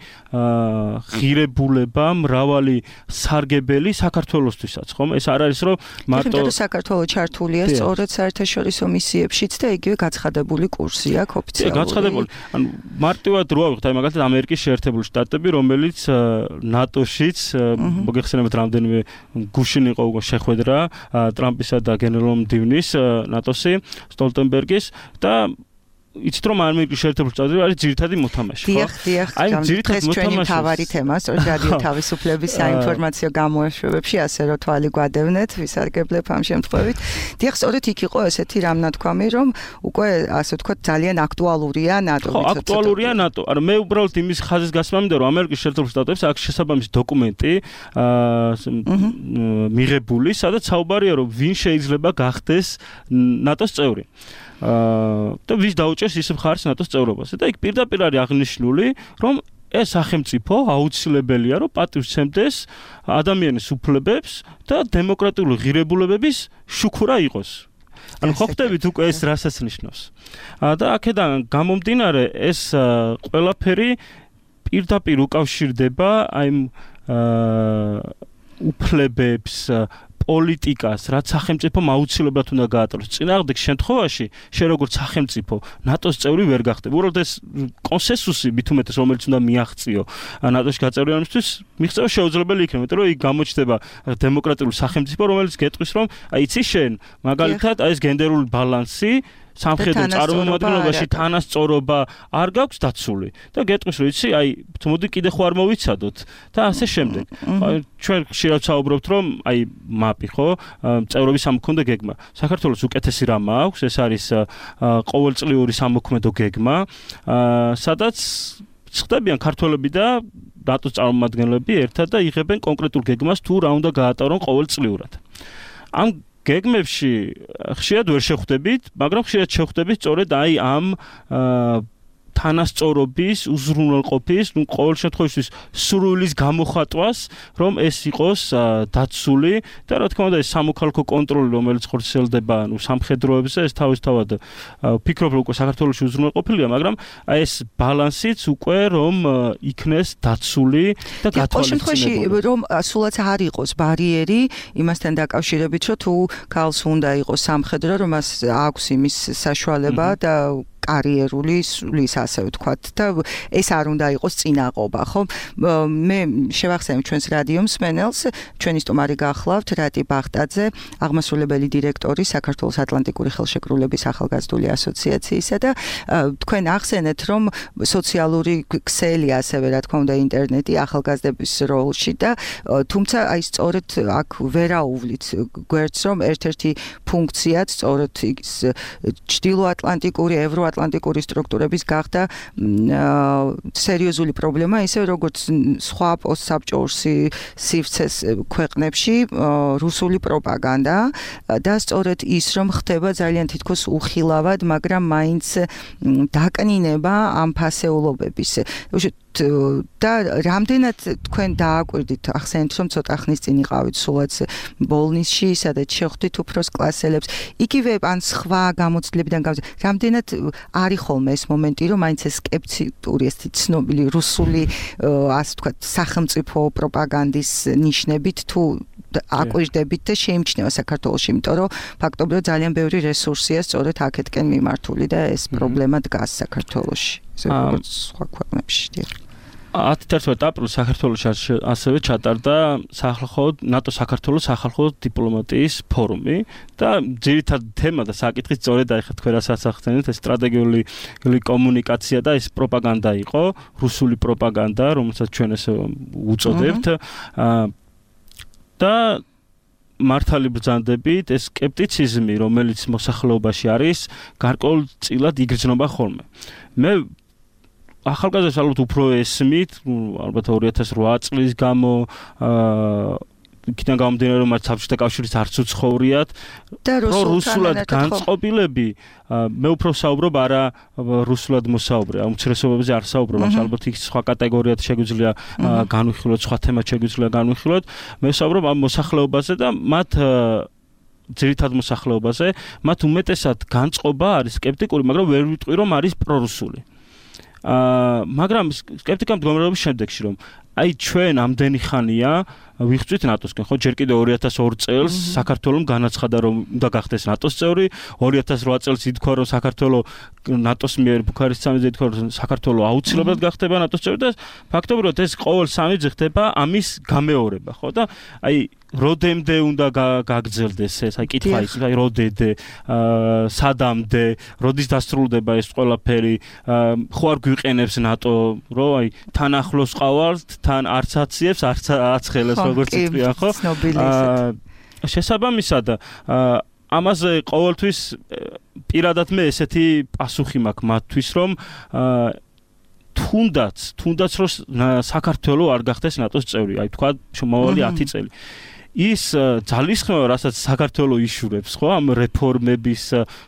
ღირებულება, მრავალი სარგებელი საქართველოსთვისაც, ხომ? ეს არ არის, რომ მარტო საქართველოს ჩართულია სწორედ საერთაშორისო მისიებშიც და იგივე გაცხადებული კურსი აქვს ოფიციალური. გაცხადებული. ანუ მარტივად რო ავიღოთ, აი მაგალითად ამერიკის შეერთებული შტატები, რომელიც ნატოშიც მოგეხსენებათ რამდენიმე გუშინ იყო უკვე შეხვედრა ტრამპისა და გენერალ მდივნის ნატოსი, სტოლტენბერგის და იცით რომ ამერიკის შეერთებული შტატები არის ძირითადი მოთამაშე, ხო? დიახ, დიახ. აი ძირითადი მოთამაშე თავარი თემას, რომ რადიო თავისუფლების საინფორმაციო გამოშვებებში ასე რომ თვალი გვადევნეთ, ვისარგებლებ ამ შემთხვევით. დიახ, სწორედ იქ იყო ესეთი რამნათქვამი, რომ უკვე ასე ვთქვათ ძალიან აქტუალურია ნატო. ხო, აქტუალურია ნატო. არა, მე უბრალოდ იმის ხაზის გასმა მინდა, რომ ამერიკის შეერთებულ შტატებში აქ შესაბამისი დოკუმენტი აა მიღებული, სადაც საუბარია, რომ ვინ შეიძლება გახდეს ნატოს წევრი. აა და ვის დაუჭერს ის მხარს ნატოს წევრობაზე და იქ პირდაპირ არის აღნიშნული, რომ ეს სახელმწიფო აუცილებელია, რომ პატივს სცემდეს ადამიანის უფლებებს და დემოკრატიული ღირებულებების შუქურა იყოს. ანუ ხო ხდებით უკვე ეს რასაც ნიშნავს. და აქედან გამომდინარე ეს ყველაფერი პირდაპირ უკავშირდება აი უფლებებს პოლიტიკას, რაც სახელმწიფომ აუცილებლად უნდა გაატაროს. წინააღმდეგ შემთხვევაში, შენ როგორც სახელმწიფო ნატოს წევრი ვერ გახდები. უბრალოდ ეს კონსენსუსი მით უმეტეს, რომელიც უნდა მიაღწიო ნატოში გაწევრიანებისთვის, მიღწევა შეუძლებელი იქნება, იმიტომ რომ იქ გამოჩნდება დემოკრატიული სახელმწიფო, რომელიც გეტყვის, რომ აი იცი შენ, მაგალითად, აი ეს გენდერული ბალანსი სამხედრო წარმომადგენლობაში თანასწორობა არ გაქვს დაცული და გეტყვის რომ იცი აი მოდი კიდე ხო არ მოვიცადოთ და ასე შემდეგ. ჩვენ ხშირად საუბრობთ რომ აი მაპი ხო წევრობის სამოქმედო გეგმა. საქართველოს უკეთესი რამ აქვს, ეს არის ყოველწლიური სამოქმედო გეგმა, სადაც ხდებიან ქართველები და ნატოს წარმომადგენლები ერთად და იღებენ კონკრეტულ გეგმას თუ რა უნდა გაატარონ ყოველწლიურად. ამ გეგმებში ხშირად ვერ შეხვდებით, მაგრამ ხშირად შეხვდებით სწორედ აი ამ თანასწორობის, უზრუნველყოფის, ну ყოველ შემთხვევაში სრულის გამოხატვას, რომ ეს იყოს დაცული და რა თქმა უნდა ეს სამოქალაქო კონტროლი, რომელიც ხორციელდება, ну სამხედროებზე, ეს თავისთავად ვფიქრობ, რომ უკვე საქართველოში უზრუნველყოფილია, მაგრამ აი ეს ბალანსიც უკვე რომ იქნეს დაცული და ყოველ შემთხვევაში გათვალისწინებული. რომ სულაც არ იყოს ბარიერი იმასთან დაკავშირებით, რომ თუ ქალს უნდა იყოს სამხედრო, რომ მას აქვს იმის საშუალება და კარიერული სulis ასე ვთქვათ და ეს არ უნდა იყოს წინააღობა, ხო? მე შევახსენებ ჩვენს რადიო მსმენელს, ჩვენი სტუმარი გახლავთ რატი ბახტაძე, აღმასრულებელი დირექტორი საქართველოს ატლანტიკური ხელშეკრულების ახალგაზრდული ასოციაციისა და თქვენ ახსენეთ, რომ სოციალური ქსელი ასევე რა თქმა უნდა ინტერნეტი ახალგაზრდების როლში და თუმცა აი სწორედ აქ ვერაუვლით გვერდს, რომ ერთ-ერთი ფუნქციაც სწორედ ის ჩრდილოატლანტიკური ევრო ატლანტიკური სტრუქტურების გახდა სერიოზული პრობლემა, ისე როგორც სხვა პოსტსაბჭოურ სივრცეს ქვეყნებში რუსული პროპაგანდა და სწორედ ის რომ ხდება ძალიან თითქოს უხილავად, მაგრამ მაინც დაკნინება ამ ფასეულობების. და რამდენად თქვენ დააკვირდით, ახსენეთ რომ ცოტა ხნის წინ იყავით სულაც ბოლნისში, სადაც შეხვდით უფროს კლასელებს, იგივე ან სხვა გამოცდილებიდან გამო რამდენად არის ხოლმე ეს მომენტი, რომ მაინც ეს სკეპტიკური ეს ცნობილი რუსული ასე ვთქვათ სახელმწიფო პროპაგანდის ნიშნებით თუ აკვირდებით და შეიმჩნევა საქართველოში, იმიტომ რომ ფაქტობრივად ძალიან ბევრი რესურსია სწორედ აქეთკენ მიმართული და ეს პრობლემა დგას საქართველოში, როგორც სხვა ქვეყნებში. ათი აპრილს საქართველოში ასევე ჩატარდა სახალხო ნატო საქართველოს სახალხო დიპლომატიის ფორუმი და ძირითადი თემა და საკითხი სწორედ აი ხა თქვენ რასაც ახსენეთ, ეს სტრატეგიული კომუნიკაცია და ეს პროპაგანდა იყო, რუსული პროპაგანდა, რომელსაც ჩვენ ესე უწოდებთ და მართალი ბრძანდებით ეს სკეპტიციზმი, რომელიც მოსახლეობაში არის, გარკვეულწილად იგრძნობა ხოლმე. მე ახალგაზრდებს ალბათ უფრო ესმით, ალბათ ორი ათას ოთხ წლის გამო აა იქიდან გამომდინარე რომ მათ საბჭოთა კავშირის არც უცხოვრიათ და რუსულად განწყობილები, მე უფრო საუბრობ არა რუსულად მოსაუბრე, ამ უმცირესობებზე არ საუბრობ, ალბათ იქ სხვა კატეგორიად შეგვიძლია განვიხილოთ, სხვა თემად შეგვიძლია განვიხილოთ, მე საუბრობ ამ მოსახლეობაზე და მათ ძირითად მოსახლეობაზე, მათ უმეტესად განწყობა არის სკეპტიკური, მაგრამ ვერ ვიტყვი რომ არის პრორუსული. აა მაგრამ სკეპტიკამ მდგომარეობის შემდეგში რომ აი ჩვენ ამდენი ხანია ვიღწვით ნატოსკენ, ხო, ჯერ კიდევ ორი ათას ორი წელს საქართველოს განაცხადა, რომ უნდა გახდეს ნატოს წევრი, ორი ათას რვა წელს ითქვა, რომ საქართველოს ნატოს მიერ ბუქარესტის სამიზე ითქვა, რომ საქართველოს აუცილებლად გახდება ნატოს წევრი და ფაქტობრივად ეს ყოველ სამი წელი ხდება ამის გამეორება, ხო და აი როდემდე უნდა გაგრძელდეს ეს, აი კითხვა ის, აი როდემდე, სადამდე, როდის დასრულდება ეს ყველაფერი, ხო არ გვიყენებს ნატო, რომ აი თან ახლოს ყავართ, თან არც აციებს, არც აცხელებს, როგორც იტყვიან, ხო? შესაბამისად, ამაზე ყოველთვის პირადად მე ესეთი პასუხი მაქვს მათთვის, რომ თუნდაც, თუნდაც რომ საქართველოს არ გახდეს ნატოს წევრი, აი თქვა მომავალი ათი წელი. ის ძალისხმევა, რასაც საქართველოს იშურებს, ხო, ამ რეფორმების,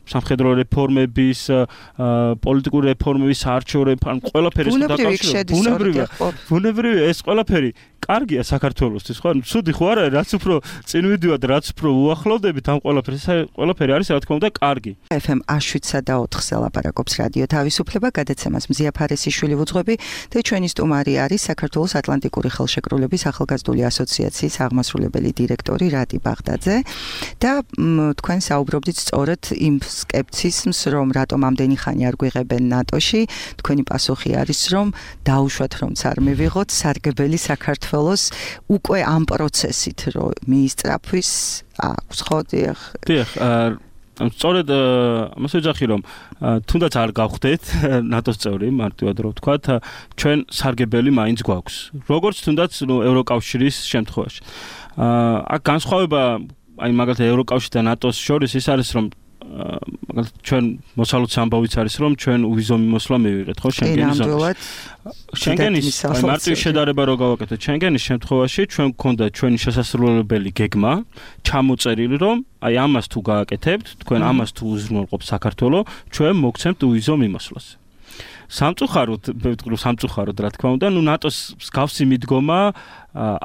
სამხედრო რეფორმების, პოლიტიკური რეფორმების, საარჩევნო რეფორმების, ყველაფერი ეს დაკავშირებული. ბუნებრივია, ბუნებრივია ეს ყველაფერი კარგია საქართველოსთვის, ხო? ცუდი ხო არა, რაც უფრო წინ ვიდივართ, რაც უფრო უახლოვდებით ამ ყველაფერს, ყველაფერი არის, რა თქმა უნდა, კარგი. ეფ ემ შვიდსა და ოთხზე ლაპარაკობს რადიო თავისუფლება, გადაცემას მზია ფარესიშვილი ვუძღვები და ჩვენი სტუმარი არის საქართველოს ატლანტიკური ხელშეკრულების ახალგაზრდული ასოციაციის აღმასრულებელი დირექტორი რატი ბაღდაძე და თქვენ საუბრობდით სწორედ იმ სკეპციზმს, რომ რატომ ამდენი ხანი არ გვიღებენ ნატოში, თქვენი პასუხი არის, რომ დაუშვათ, რომც არ მივიღოთ სარგებელი საქართველოს უკვე ამ პროცესით, რომ მიისწრაფვის აქვს, ხო, დიახ. დიახ, სწორედ ამას ვეძახი, რომ თუნდაც არ გავხდეთ ნატოს წევრი, მარტივად რომ ვთქვათ, ჩვენ სარგებელი მაინც გვაქვს. როგორც თუნდაც ევროკავშირის შემთხვევაში. აქ განსხვავება, აი მაგალითად ევროკავშირი და ნატოს შორის ის არის, რომ მაგალითად ჩვენ მოსალოდს ამბავიც არის, რომ ჩვენ უვიზო მიმოსვლა მივიღეთ, ხო, შენგენის ზონაში. შენგენის მარტივი შედარება რო გავაკეთოთ, შენგენის შემთხვევაში ჩვენ გვქონდა ჩვენი შესასრულებელი გეგმა, ჩამოწერილი, რომ აი ამას თუ გააკეთებთ, თქვენ ამას თუ უზრუნველყოფთ საქართველოს, ჩვენ მოგცემთ უვიზო მიმოსვლას. სამწუხაროდ, ვთქვი სამწუხაროდ, რა თქმა უნდა, ნუ ნატოს მსგავსი მიდგომა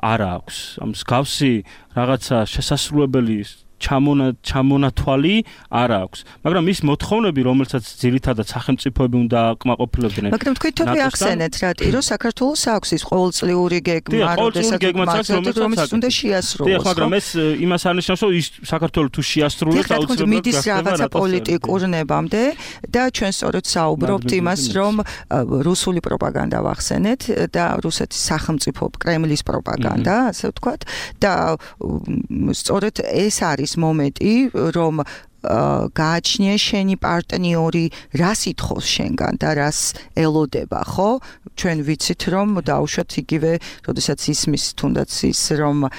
არ აქვს. ამ მსგავსი რაღაცა შესასრულებელი ჩამონა ჩამონათვალი არ აქვს. მაგრამ ის მოთხოვნები, რომელსაც ძირითადად სახელმწიფოები უნდა აკმაყოფილებდნენ. მაგრამ თქვენ თვითონ ახსენეთ, რატი, რომ საქართველოს აქვს ის ყოველწლიური გეგმა, როდესაც რომელიც უნდა შეასრულოს. დიახ, მაგრამ ეს იმას არნიშნავს, რომ ის საქართველოს თუ შეასრულებს, აუცილებლად მიდის რაღაცა პოლიტიკურ ნებამდე და ჩვენ სწორედ საუბრობთ იმას, რომ რუსული პროპაგანდა ვახსენეთ და რუსეთის სახელმწიფო კრემლის პროპაგანდა, ასე ვთქვათ, და სწორედ ეს არის მომენტი, რომ გააჩნია შენი პარტნიორი, რას ითხოვს შენგან და რას ელოდება, ხო? ჩვენ ვიცით, რომ დაუშვათ იგივე, როდესაც ისმის თუნდაც ის, რომ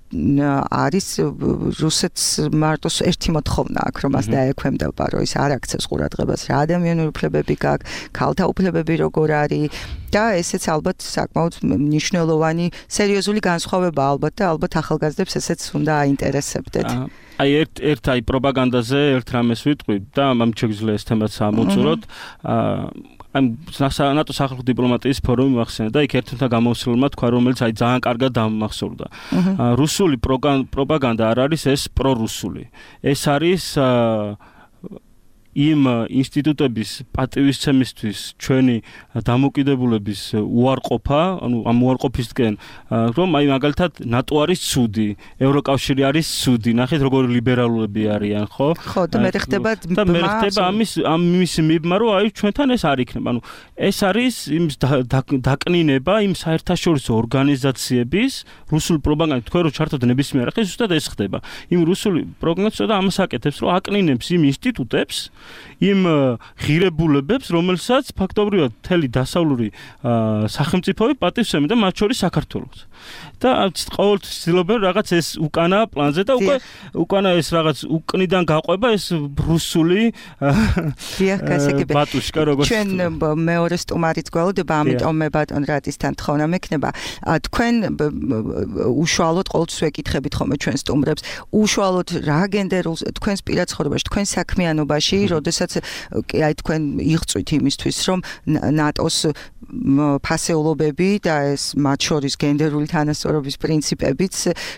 არის რუსეთს მარტო ერთი მოთხოვნა აქვს, რომ მას დაექვემდება, რომ ის არ აქცევს ყურადღებას, რა ადამიანური უფლებები გაქვს, ქალთა უფლებები როგორ არის და ესეც ალბათ საკმაოდ მნიშვნელოვანი სერიოზული განსხვავება ალბათ და ალბათ ახალგაზრდებს ესეც უნდა აინტერესებდეთ. აი ერთ ერთ აი პროპაგანდაზე ერთ რამეს ვიტყვი და ამ შეგვიძლია ეს თემაც ამოვწუროთ. ამ ნატო სახალხო დიპლომატიის ფორუმი მახსენე და იქ ერთ-ერთმა გამოსვლელმა თქვა, რომელიც აი ძალიან კარგად დამახსოვრდა. რუსული პროპაგანდა არ არის ეს პრორუსული. ეს არის იმ ინსტიტუტების პატივისცემისთვის ჩვენი დამოკიდებულების უარყოფა, ანუ ამ უარყოფისკენ, რომ აი მაგალითად ნატო არის ცუდი, ევროკავშირი არის ცუდი, ნახეთ როგორი ლიბერალურები არიან, ხო? ხო, და მე ხდება და მე ხდება ამის ამის მიბმა, რომ აი ჩვენთან ეს არ იქნება. ანუ ეს არის იმ დაკნინება იმ საერთაშორისო ორგანიზაციების რუსული პროპაგანდა, თქვენ რო ჩართოთ ნებისმიერ ახლა ზუსტად ეს ხდება. იმ რუსული პროპაგანდა და ამას აკეთებს, რომ აკნინებს იმ ინსტიტუტებს, იმ ღირებულებებს, რომელსაც ფაქტობრივად მთელი დასავლური სახელმწიფოები პატივსცემენ და მათ შორის საქართველოს. და ყოველთვის ცდილობენ რაღაც ეს უკანა პლანზე და უკვე უკანა ეს რაღაც უკნიდან გაყვება ეს რუსული ბატუშკა როგორც ჩვენ მეორე სტუმარიც გველოდება, ამიტომ მე ბატონ რატისთან თხოვნა მექნება. თქვენ უშუალოდ ყოველთვის ვეკითხებით ხოლმე ჩვენ სტუმრებს, უშუალოდ რა გენდერულ თქვენს პირად ცხოვრებაში, თქვენ საქმიანობაში, როდესაც აი თქვენ იღწვით იმისთვის, რომ ნატოს ფასეულობები და ეს მათ შორის გენდერული თანასწორობა თანასწორობის პრინციპებიც,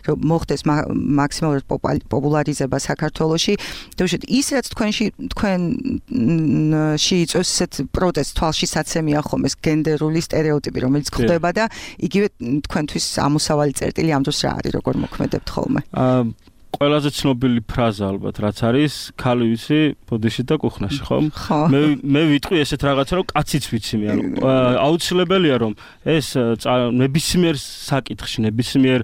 რომ მოხდეს მაქსიმალურად პოპულარიზება საქართველოში. თუმცა ის რაც თქვენში თქვენში იწვევს ესეთ პროტესტს თვალშისაცემია ხომ ეს გენდერული სტერეოტიპი, რომელიც ხდება და იგივე თქვენთვის ამოსავალი წერტილი ამ დროს რა არის, როგორ მოქმედებთ ხოლმე? ყველაზე ცნობილი ფრაზა ალბათ რაც არის ქალი ვიცი ბოდიში და კუხნაში ხომ მე მე ვიტყვი ესეთ რაღაცა რომ კაციც ვიცი მე ანუ აუცილებელია რომ ეს ნებისმიერ საკითხში ნებისმიერ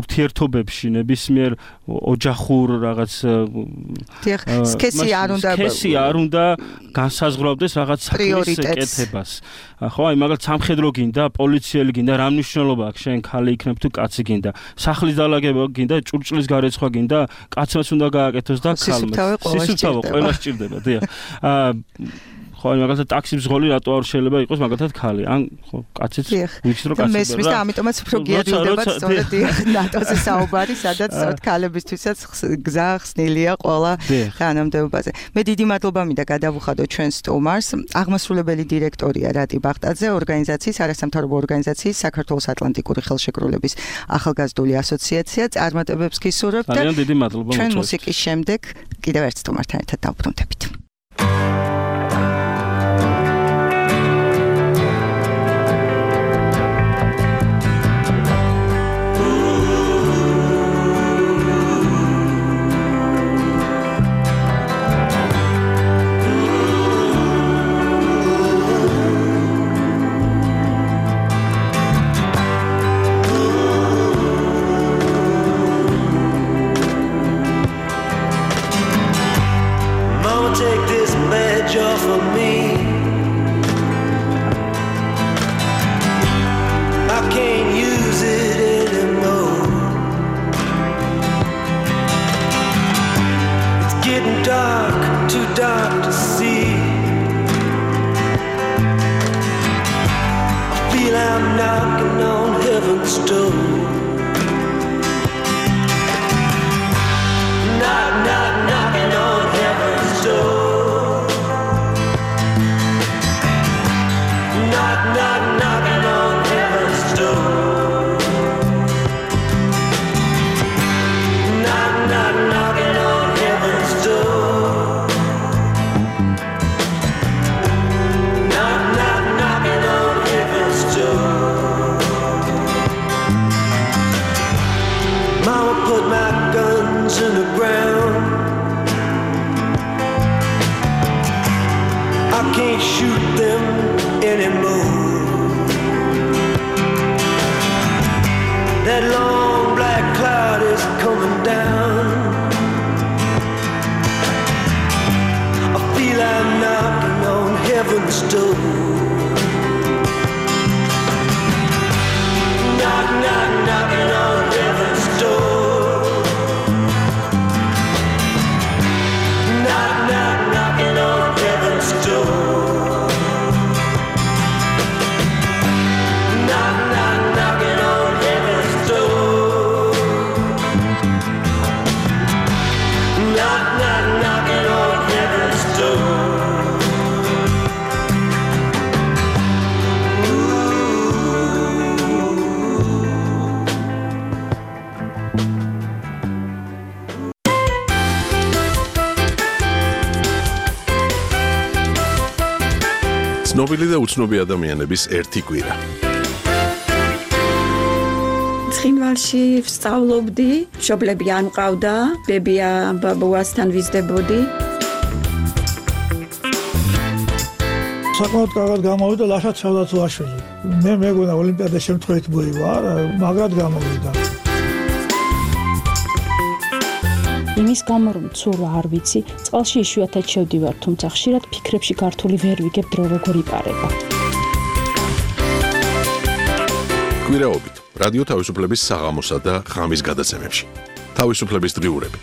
ურთიერთობებში ნებისმიერ ოჯახურ რაღაც სქესი არ უნდა სქესი არ უნდა განსაზღვრავდეს რაღაც საქმის კეთებას ხო აი მაგალითად სამხედრო გინდა პოლიციელი გინდა რა მნიშვნელობა აქვს შენ ქალი იქნებ თუ კაცი გინდა სახლის დალაგება გინდა ჭურჭლის გარეცხვა გინდა კაცმაც უნდა გააკეთოს და ქალმაც სისუფთავო ყველა სჭირდება დიახ აა ხო მაგალითად ტაქსის მძღოლი რატო არ შეიძლება იყოს მაგალითად ქალი ან ხო კაციც ვიცი რომ კაცი და მესმის და ამიტომაც უფრო გიადვილდება სწორედ ნატოზე საუბარი სადაც სწორედ ქალებისთვისაც გზა ხსნილია ყველა თანამდებობაზე მე დიდი მადლობა მინდა გადავუხადო ჩვენ სტუმარს აღმასრულებელი დირექტორია რატი ბახტაძე ორგანიზაციის არასამთავრობო ორგანიზაციის საქართველოს ატლანტიკური ხელშეკრულების ახალგაზრდული ასოციაცია წარმატებებს გისურვებთ და ძალიან დიდი მადლობა ჩვენ მუსიკის შემდეგ კიდევ ერთ სტუმართან ერთად დავბრუნდებით ცნობილი და უცნობი ადამიანების ერთი კვირა. ცხინვალში ვსწავლობდი, მშობლები არ მყავდა, ბებია ბაბუასთან ვიზრდებოდი. საკმაოდ კარგად გამოვიდა ლაშა ჩავდაცვაშვილი. მე მეგონა ოლიმპიადა შემთხვევით მოივა, მაგრად გამოვიდა. იმის გამო რომ ცურვა არ ვიცი, წყალში იშვიათად შევდივარ, თუმცა ხშირად ფიქრებში გართული ვერ ვიგებ დრო როგორ იპარება. კვირაობით, რადიო თავისუფლების საღამოსა და ღამის გადაცემებში. თავისუფლების დღიურები.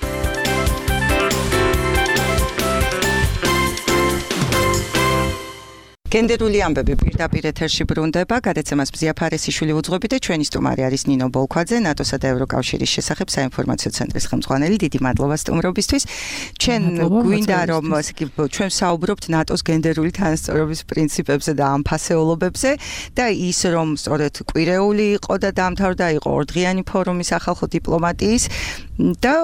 გენდერული ამბები პირდაპირ ეთერში ბრუნდება. გადაცემას მზია ფარესიშვილი უძღვები და ჩვენი სტუმარი არის ნინო ბოლქვაძე, ნატოსა და ევროკავშირის შესახებ საინფორმაციო ცენტრის ხელმძღვანელი. დიდი მადლობა სტუმრობისთვის. ჩვენ გვინდა რომ ჩვენ საუბრობთ ნატოს გენდერული თანასწორობის პრინციპებზე და ამ ფასეულობებზე და ის რომ სწორედ კვირეული იყო და დამთავრდა იყო ორდღიანი ფორუმი სახალხო დიპლომატიის და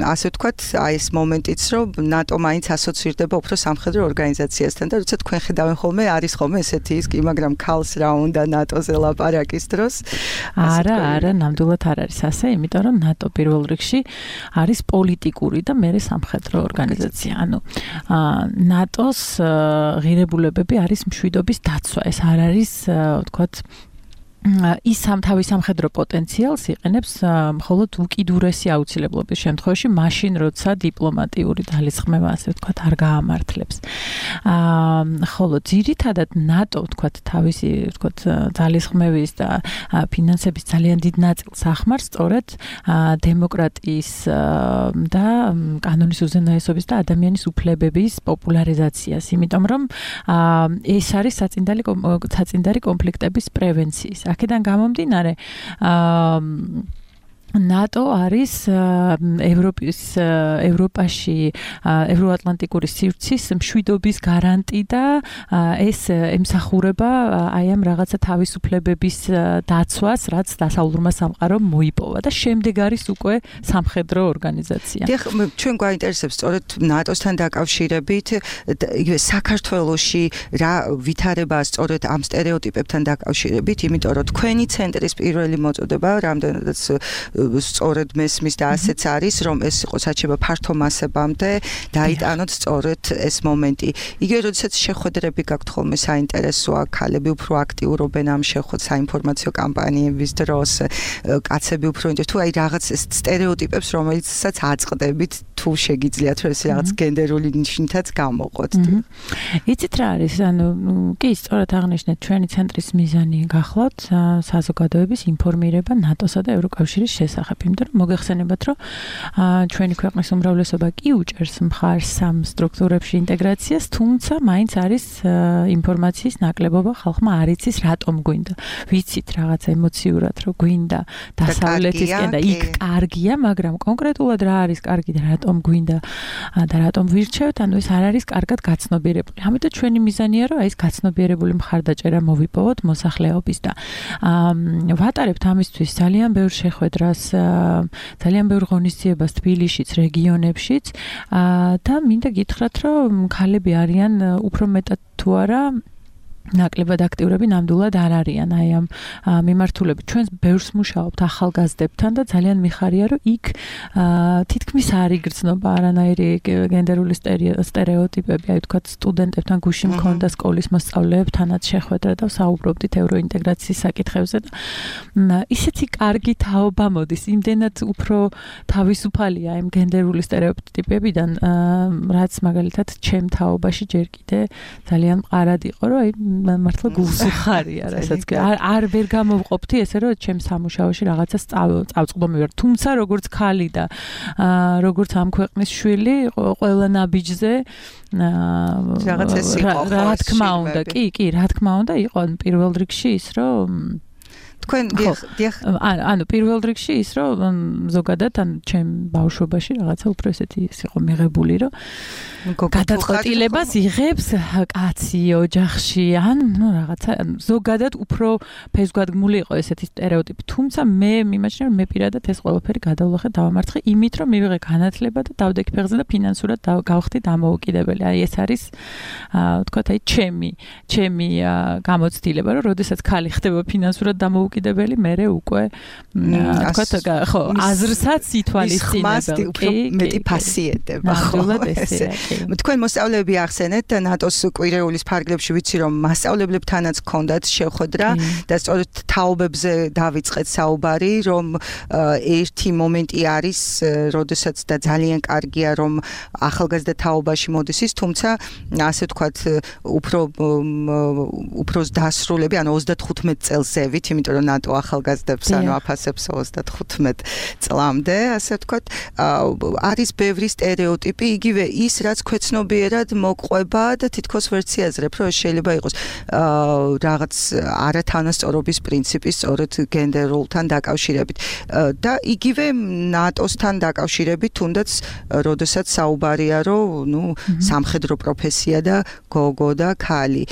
ასე ვთქვათ, აი ეს მომენტიც რომ ნატო მაინც ასოცირდება უფრო სამხედრო ორგანიზაციასთან და როცა თქვენ ხედავენ ხოლმე არის ხოლმე ესეთი ის კი, მაგრამ ქალს რა უნდა ნატოზე ლაპარაკის დროს? არა, არა, ნამდვილად არ არის ასე, იმიტომ რომ ნატო პირველ რიგში არის პოლიტიკური და მეორე სამხედრო ორგანიზაცია. ანუ ნატოს ღირებულებები არის მშვიდობის დაცვა. ეს არ არის, ვთქვათ, ის სამთავის სამხედრო პოტენციალს იყენებს მხოლოდ უკიდურესი აუცილებლობის შემთხვევაში, მაშინ როცა დიპლომატიური ძალისხმევა, ასე ვთქვათ, არ გაამართლებს. აა ხოლო ძირითადად ნატო, ვთქვათ, თავისი, ვთქვათ, ძალისხმევის და ფინანსების ძალიან დიდ ნაწილს ახმარს სწორედ დემოკრატიის და კანონის უზენაესობის და ადამიანის უფლებების პოპულარიზაციას, იმიტომ რომ ეს არის საწინდარი საწინდარი კონფლიქტების პრევენციის. აქედან გამომდინარე, აა ნატო არის ევროპის ევროპაში ევროატლანტიკური სივრცის მშვიდობის გარანტი და ეს ემსახურება აი ამ რაღაცა თავისუფლებების დაცვას, რაც დასავლურმა სამყარომ მოიპოვა და შემდეგ არის უკვე სამხედრო ორგანიზაცია. დიახ, ჩვენ გვაინტერესებს სწორედ ნატოსთან დაკავშირებით იგივე საქართველოში რა ვითარება სწორედ ამ სტერეოტიპებთან დაკავშირებით, იმიტომ რომ თქვენი ცენტრის პირველი მოწოდება რამდენადაც სწორედ მესმის და ასეც არის, რომ ეს იყო საჩება ფართო მასებამდე დაიტანოთ სწორედ ეს მომენტი. იგივე როდესაც შეხვედრები გაქვთ ხოლმე საინტერესოა, ქალები უფრო აქტიურობენ ამ შეხვედრ საინფორმაციო კამპანიების დროს, კაცები უფრო ინტერესს თუ აი რაღაც სტერეოტიპებს, რომელიცაც აწყდებით, თუ შეგიძლიათ რომ ეს რაღაც გენდერული ნიშნითაც გამოყოთ. იცით რა არის, ანუ კი, სწორად აღნიშნეთ, ჩვენი ცენტრის მიზანი გახლავთ საზოგადოების ინფორმირება ნატოსა და ევროკავშირის შესახებ, იმიტომ რომ მოგეხსენებათ, რომ ჩვენი ქვეყნის უმრავლესობა კი უჭერს მხარს ამ სტრუქტურებში ინტეგრაციას, თუმცა მაინც არის ინფორმაციის ნაკლებობა, ხალხმა არ იცის რატომ გვინდა. ვიცით რაღაც ემოციურად, რომ გვინდა დასავლეთისკენ და იქ კარგია, მაგრამ კონკრეტულად რა არის კარგი და რატომ გვინდა და რატომ ვირჩევთ, ანუ ეს არ არის კარგად გაცნობიერებული. ამიტომ ჩვენი მიზანია, რომ აი ეს გაცნობიერებული მხარდაჭერა მოვიპოვოთ მოსახლეობის და ვატარებთ ამისთვის ძალიან ბევრ შეხვედრას, ძალიან ბევრ ღონისძიებას თბილისშიც, რეგიონებშიც და მინდა გითხრათ, რომ ქალები არიან უფრო მეტად თუ არა ნაკლებად აქტიურები ნამდვილად არ არიან აი ამ მიმართულებით. ჩვენ ბევრს მუშაობთ ახალგაზრდებთან და ძალიან მიხარია, რომ იქ თითქმის არ იგრძნობა არანაირი გენდერული სტერეოტიპები, აი თქვათ სტუდენტებთან გუში მქონდა სკოლის მოსწავლეებთანაც შეხვედრა და საუბრობდით ევროინტეგრაციის საკითხებზე და ისეთი კარგი თაობა მოდის, იმდენად უფრო თავისუფალია იმ გენდერული სტერეოტიპებიდან, რაც მაგალითად ჩემ თაობაში ჯერ კიდე ძალიან მყარად იყო, რომ აი მართლა გულს უხარია, რასაც არ არ ვერ გამოვყოფთი ესე რომ ჩემ სამუშაოში რაღაცა წავწყდომი ვარ. თუმცა როგორც ქალი და როგორც ამ ქვეყნის შვილი, ყველა ნაბიჯზე რაღაც ეს იყო. რა თქმა უნდა, კი, კი, რა თქმა უნდა იყო პირველ რიგში ის რომ თქვენ დიახ ანუ პირველ რიგში ის რომ ზოგადად ან ჩემ ბავშვობაში რაღაცა უფრო ესეთი ის იყო მიღებული, რომ გადაწყვეტილებას იღებს კაცი ოჯახში ან ნუ რაღაცა ზოგადად უფრო ფესვგადგმული იყო ესეთი სტერეოტიპი. თუმცა მე მიმაჩნია, რომ მე პირადად ეს ყველაფერი გადავლახე, დავამარცხე იმით, რომ მივიღე განათლება და დავდექი ფეხზე და ფინანსურად გავხდი დამოუკიდებელი. აი ეს არის ვთქვათ აი ჩემი ჩემი გამოცდილება, რომ როდესაც ქალი ხდება ფინანსურად დამოუკიდებელი, მერე უკვე ვთქვათ ხო აზრსაც ითვალისწინებელ. კი, მეტი ფასიეტება. ნამდვილად ესეა. თქვენ მოსწავლეები ახსენეთ ნატოს კვირეულის ფარგლებში, ვიცი რომ მასწავლებლებთანაც ჰქონდათ შეხვედრა და სწორედ თაობებზე დავიწყეთ საუბარი, რომ ერთი მომენტი არის, როდესაც და ძალიან კარგია, რომ ახალგაზრდა თაობაში მოდის ის, თუმცა ასე ვთქვათ, უფრო უფრო დასრულები, ანუ ოცდათხუთმეტ წელს ზევით, იმიტომ რომ ნატო ახალგაზრდებს ანუ აფასებს ოცდახუთმეტ წლამდე, ასე ვთქვათ, არის ბევრი სტერეოტიპი, იგივე ის, რაც ქვეცნობიერად მოყვება და თითქოს ვერც იაზრებ, რომ შეიძლება იყოს რაღაც არათანასწორობის პრინციპი სწორედ გენდერულთან დაკავშირებით. და იგივე ნატოსთან დაკავშირებით, თუნდაც როდესაც საუბარია, რომ ნუ სამხედრო პროფესია და გოგო და ქალი.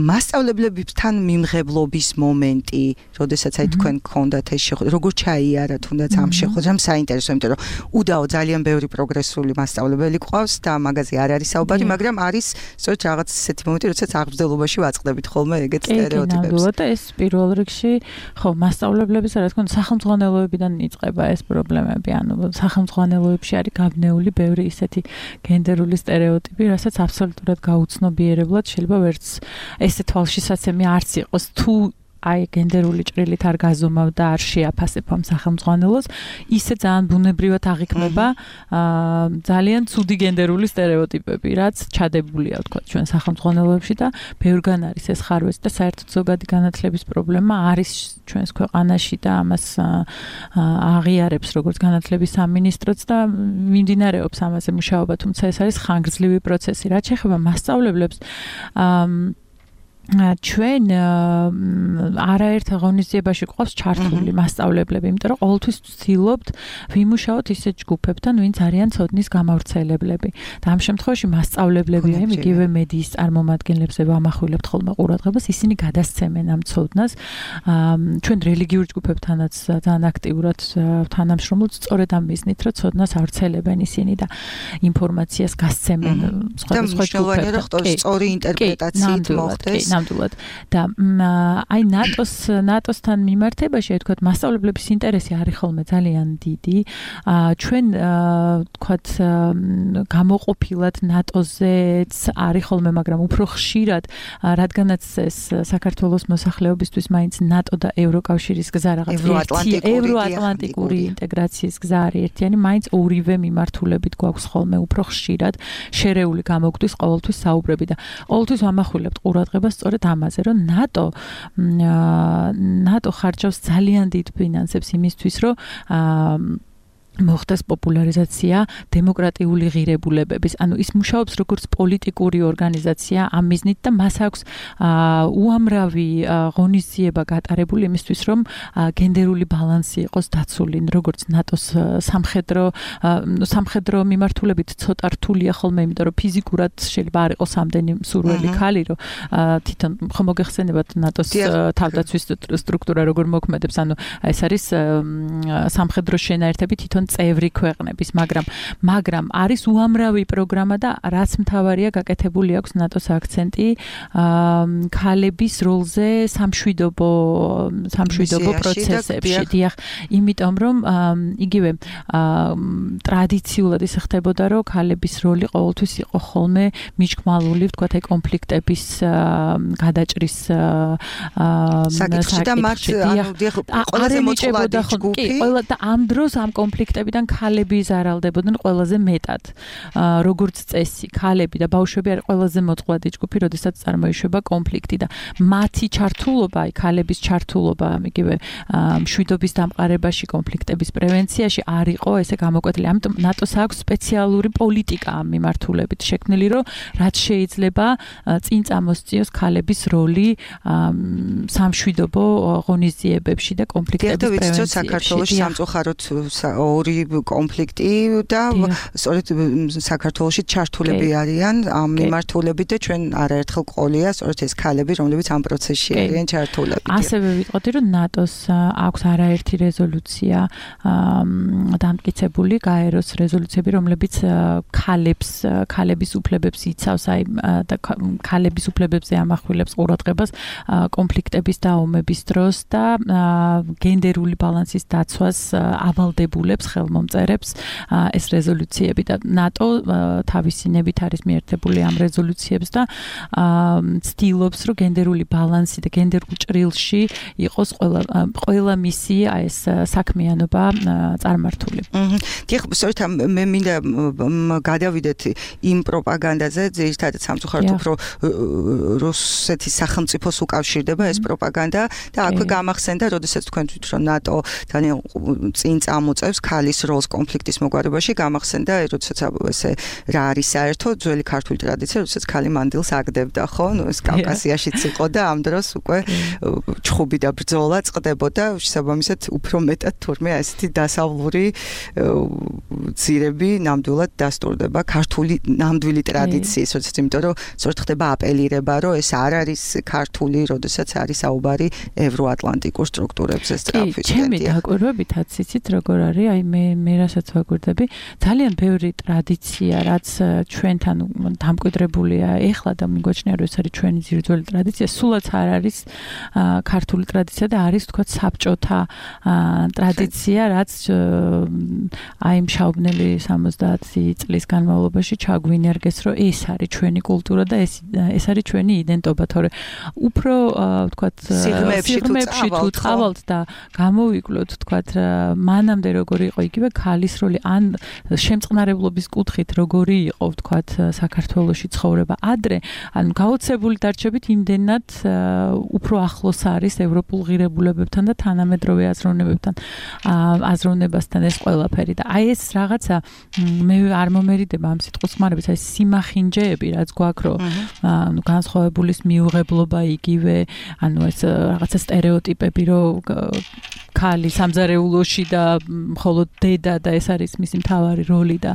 მასწავლებლებთან მიმღებლობის მომენტი, როდესაც აი თქვენ გქონდათ ეს შეხვედრა, როგორ ჩაიარა თუნდაც ამ შეხვედრამ საინტერესო, იმიტომ რომ უდაო ძალიან ბევრი პროგრესული მასწავლებელი ყავს და მაგაზე არ არის საუბარი, მაგრამ არის სწორედ რაღაც ესეთი მომენტი, როდესაც აღბრძოლობაში ვაწყდებით ხოლმე ეგეთ სტერეოტიპებს. ნამდვილად და ეს პირველ რიგში, ხო, მასწავლებლების რა თქმა უნდა სახელმძღვანელოებიდან იწყება ეს პრობლემები, ანუ სახელმძღვანელოებში არის გაბნეული ბევრი ისეთი გენდერული სტერეოტიპი, რასაც აბსოლუტურად გაუცნობიერებლად შეიძლება ვერც ესე თვალშისაცემი არც იყოს თუ აი გენდერული ჭრილით არ გაზომავ და არ შეაფასებ ამ სახელმძღვანელოს, ისე ძალიან ბუნებრივად აღიქმება ძალიან ცუდი გენდერული სტერეოტიპები, რაც ჩადებულია, ვთქვათ, ჩვენ სახელმძღვანელოებში და ბევრგან არის ეს ხარვეც და საერთოდ ზოგადი განათლების პრობლემა არის ჩვენს ქვეყანაში და ამას აღიარებს როგორც განათლების სამინისტროც და მიმდინარეობს ამაზე მუშაობა, თუმცა ეს არის ხანგრძლივი პროცესი. რაც შეეხება მასწავლებლებს, ჩვენ არაერთ ღონისძიებაში გვყავს ჩართული მასწავლებლები, იმიტომ რომ ყოველთვის ვცდილობთ ვიმუშაოთ ისეთ ჯგუფებთან, ვინც არიან ცოდნის გამავრცელებლები. და ამ შემთხვევაში მასწავლებლები, აი იგივე მედიის წარმომადგენლებზე ვამახვილებთ ხოლმე ყურადღებას, ისინი გადასცემენ ამ ცოდნას. ჩვენ რელიგიურ ჯგუფებთანაც ძალიან აქტიურად თანამშრომლობთ, სწორედ ამ მიზნით, რომ ცოდნას ავრცელებენ ისინი და ინფორმაციას გასცემენ სხვადასხვა ჯგუფებთან. სწორი ინტერპრეტაციით მოხდეს. ნამდვილად და აი ნატოს ნატოსთან მიმართებაში აი თქვათ მასწავლებლების ინტერესი არის ხოლმე ძალიან დიდი. ჩვენ თქვათ გამოყოფილად ნატოზეც არის ხოლმე, მაგრამ უფრო ხშირად, რადგანაც ეს საქართველოს მოსახლეობისთვის მაინც ნატო და ევროკავშირის გზა რაღაც ევროატლანტიკური ინტეგრაციის გზა არის ერთიანი, მაინც ორივე მიმართულებით გვაქვს ხოლმე უფრო ხშირად შერეული გამოგვდის ყოველთვის საუბრები და ყოველთვის ვამახვილებთ ყურადღებას სწორედ ამაზე, რომ ნატო ნატო ხარჯავს ძალიან დიდ ფინანსებს იმისთვის, რომ მოხდეს პოპულარიზაცია დემოკრატიული ღირებულებების. ანუ ის მუშაობს როგორც პოლიტიკური ორგანიზაცია ამ მიზნით და მას აქვს უამრავი ღონისძიება გატარებული იმისთვის, რომ გენდერული ბალანსი იყოს დაცული, როგორც ნატოს სამხედრო სამხედრო მიმართულებით ცოტა რთულია ხოლმე, იმიტომ რომ ფიზიკურად შეიძლება არ იყოს ამდენი მსურველი ქალი, რომ თვითონ ხომ მოგეხსენებათ ნატოს თავდაცვის სტრუქტურა როგორ მოქმედებს, ანუ ეს არის სამხედრო შენაერთები თვითონ წევრი ქვეყნების, მაგრამ მაგრამ არის უამრავი პროგრამა და რაც მთავარია გაკეთებული აქვს ნატოს აქცენტი ქალების როლზე სამშვიდობო სამშვიდობო პროცესებში. დიახ, იმიტომ რომ იგივე ტრადიციულად ისე ხდებოდა, რომ ქალების როლი ყოველთვის იყო ხოლმე მიჯგმალური, ვთქვათ, აი კონფლიქტების გადაჭრის საკითხი და მათ ანუ დიახ ყველაზე მოწყვლადი ჯგუფი. კი, ყველა და ამ დროს ამ კონფლიქტებიდან ქალები ზარალდებოდნენ ყველაზე მეტად. როგორც წესი, ქალები და ბავშვები არის ყველაზე მოწყვლადი ჯგუფი, როდესაც წარმოიშვება კონფლიქტი და მათი ჩართულობა, აი ქალების ჩართულობა, იგივე მშვიდობის დამყარებაში, კონფლიქტების პრევენციაში არ იყო ესე გამოკვეთილი. ამიტომ ნატოს აქვს სპეციალური პოლიტიკა ამ მიმართულებით შექმნილი, რომ რაც შეიძლება წინ წამოსწიოს ქალების როლი სამშვიდობო ღონისძიებებში და კონფლიქტების პრევენციაში. საქართველოში სამწუხაროდ ორი კონფლიქტი და სწორედ საქართველოში ჩართულები არიან ამ მიმართულებით და ჩვენ არაერთხელ ყოლია სწორედ ეს ქალები, რომლებიც ამ პროცესში არიან ჩართულები. ასევე ვიტყოდი, რომ ნატოს აქვს არაერთი რეზოლუცია დამტკიცებული, გაეროს რეზოლუციები, რომლებიც ქალებს, ქალების უფლებებს იცავს, აი და ქალების უფლებებზე ამახვილებს ყურადღებას კონფლიქტების და ომების დროს და გენდერული ბალანსის დაცვას ავალდებულებს ხელმომწერებს ეს რეზოლუციები და ნატო თავისი ნებით არის მიერთებული ამ რეზოლუციებს და ცდილობს რომ გენდერული ბალანსი და გენდერულ ჭრილში იყოს ყველა ყველა მისი ეს საქმიანობა წარმართული. დიახ, სწორედ მე მინდა გადავიდეთ იმ პროპაგანდაზე, ძირითადად სამწუხაროდ უფრო რუსეთის სახელმწიფოს უკავშირდება ეს პროპაგანდა და აქვე გამახსენდა, როდესაც თქვენ თვით რომ ნატო ძალიან წინ წამოწევს ქალის როლს კონფლიქტის მოგვარებაში, გამახსენდა, როდესაც ესე რა არის საერთო ძველი ქართული ტრადიცია, როდესაც ქალი მანდილს აგდებდა, ხო? ნუ ეს კავკასიაშიც იყო და ამ დროს უკვე ჩხუბი და ბრძოლა წყდებოდა, შესაბამისად უფრო მეტად თურმე ესეთი დასავლური ძირები ნამდვილად დასტურდება ქართული ნამდვილი ტრადიციის, როდესაც იმიტომ რომ სწორედ ხდება აპელირება, რომ ეს არ არის ქართული, როდესაც არის საუბარი ევროატლანტიკურ სტრუქტურებზე სწრაფით. ჩემი დაკვირვებითაც იცით როგორ არის, აი მე მე რასაც ვაკვირდები, ძალიან ბევრი ტრადიცია, რაც ჩვენთან დამკვიდრებულია ეხლა და მიგვაჩნია რომ ეს არის ჩვენი ძირძველი ტრადიცია, სულაც არ არის ქართული ტრადიცია და არის თქვა საბჭოთა ტრადიცია, რაც აი მშაობნელი სამოცდაათი წლის განმავლობაში ჩაგვინერგეს, რომ ეს არის ჩვენი კულტურა და ეს ეს არის ჩვენი იდენტობა, თორე უფრო თქვა სიღრმეებში თუ წავალთ და გამოვიკლოთ თქვა მანამდე როგორი იყო იგივე ქალის როლი ან შემწყნარებლობის კუთხით როგორი იყო თქვა საქართველოში ცხოვრება ადრე, ანუ გაოცებული დარჩებით იმდენად უფრო ახლოს არის ევროპულ ღირებულებებთან და თანამედროვე აზროვნებებთან აზროვნებასთან ეს ყველაფერი და აი ეს რაღაცა მე არ მომერიდება ამ სიტყვის ხმარების აი სიმახინჯეები რაც გვაქვს რომ ანუ განსხვავებულის მიუღებლობა იგივე ანუ ეს რაღაცა სტერეოტიპები რომ ქალი სამზარეულოში და მხოლოდ დედა და ეს არის მისი მთავარი როლი და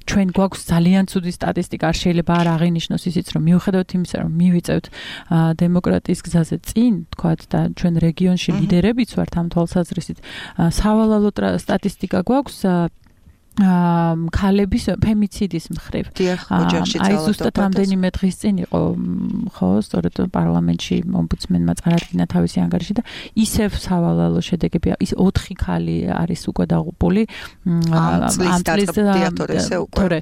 ჩვენ გვაქვს ძალიან ცუდი სტატისტიკა არ შეიძლება არ აღინიშნოს ისიც რომ მიუხედავად იმისა რომ მივიწევთ დემოკრატიის გზაზე წინ თქვათ და ჩვენ რეგიონში ლიდერებიც ვართ ამ თვალსაზრისით სავალალო სტატისტიკა გვაქვს ქალების ფემიციდის მხრივ. აი ზუსტად რამდენიმე დღის წინ იყო ხო, სწორედ პარლამენტში ომბუდსმენმა წარადგინა თავისი ანგარიში და ისევ სავალალო შედეგები, ის ოთხი ქალი არის უკვე დაღუპული ამ წლის თორე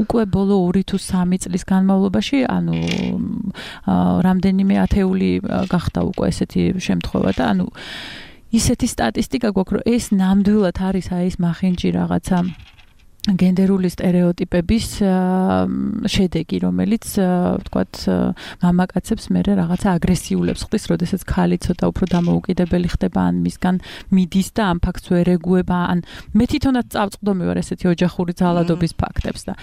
უკვე ბოლო ორი თუ სამი წლის განმავლობაში, ანუ რამდენიმე ათეული გახდა უკვე ესეთი შემთხვევა და ანუ ისეთი სტატისტიკა გვაქვს, რომ ეს ნამდვილად არის აი ეს მახინჯი რაღაცა გენდერული სტერეოტიპების შედეგი, რომელიც ვთქვათ, მამაკაცებს მერე რაღაცა აგრესიულებს ხდის, როდესაც ქალი ცოტა უფრო დამოუკიდებელი ხდება, ან მისგან მიდის და ამ ფაქტს ვერ ეგუება, ან მე თვითონაც წავწყდომი ვარ ესეთი ოჯახური ძალადობის ფაქტებს და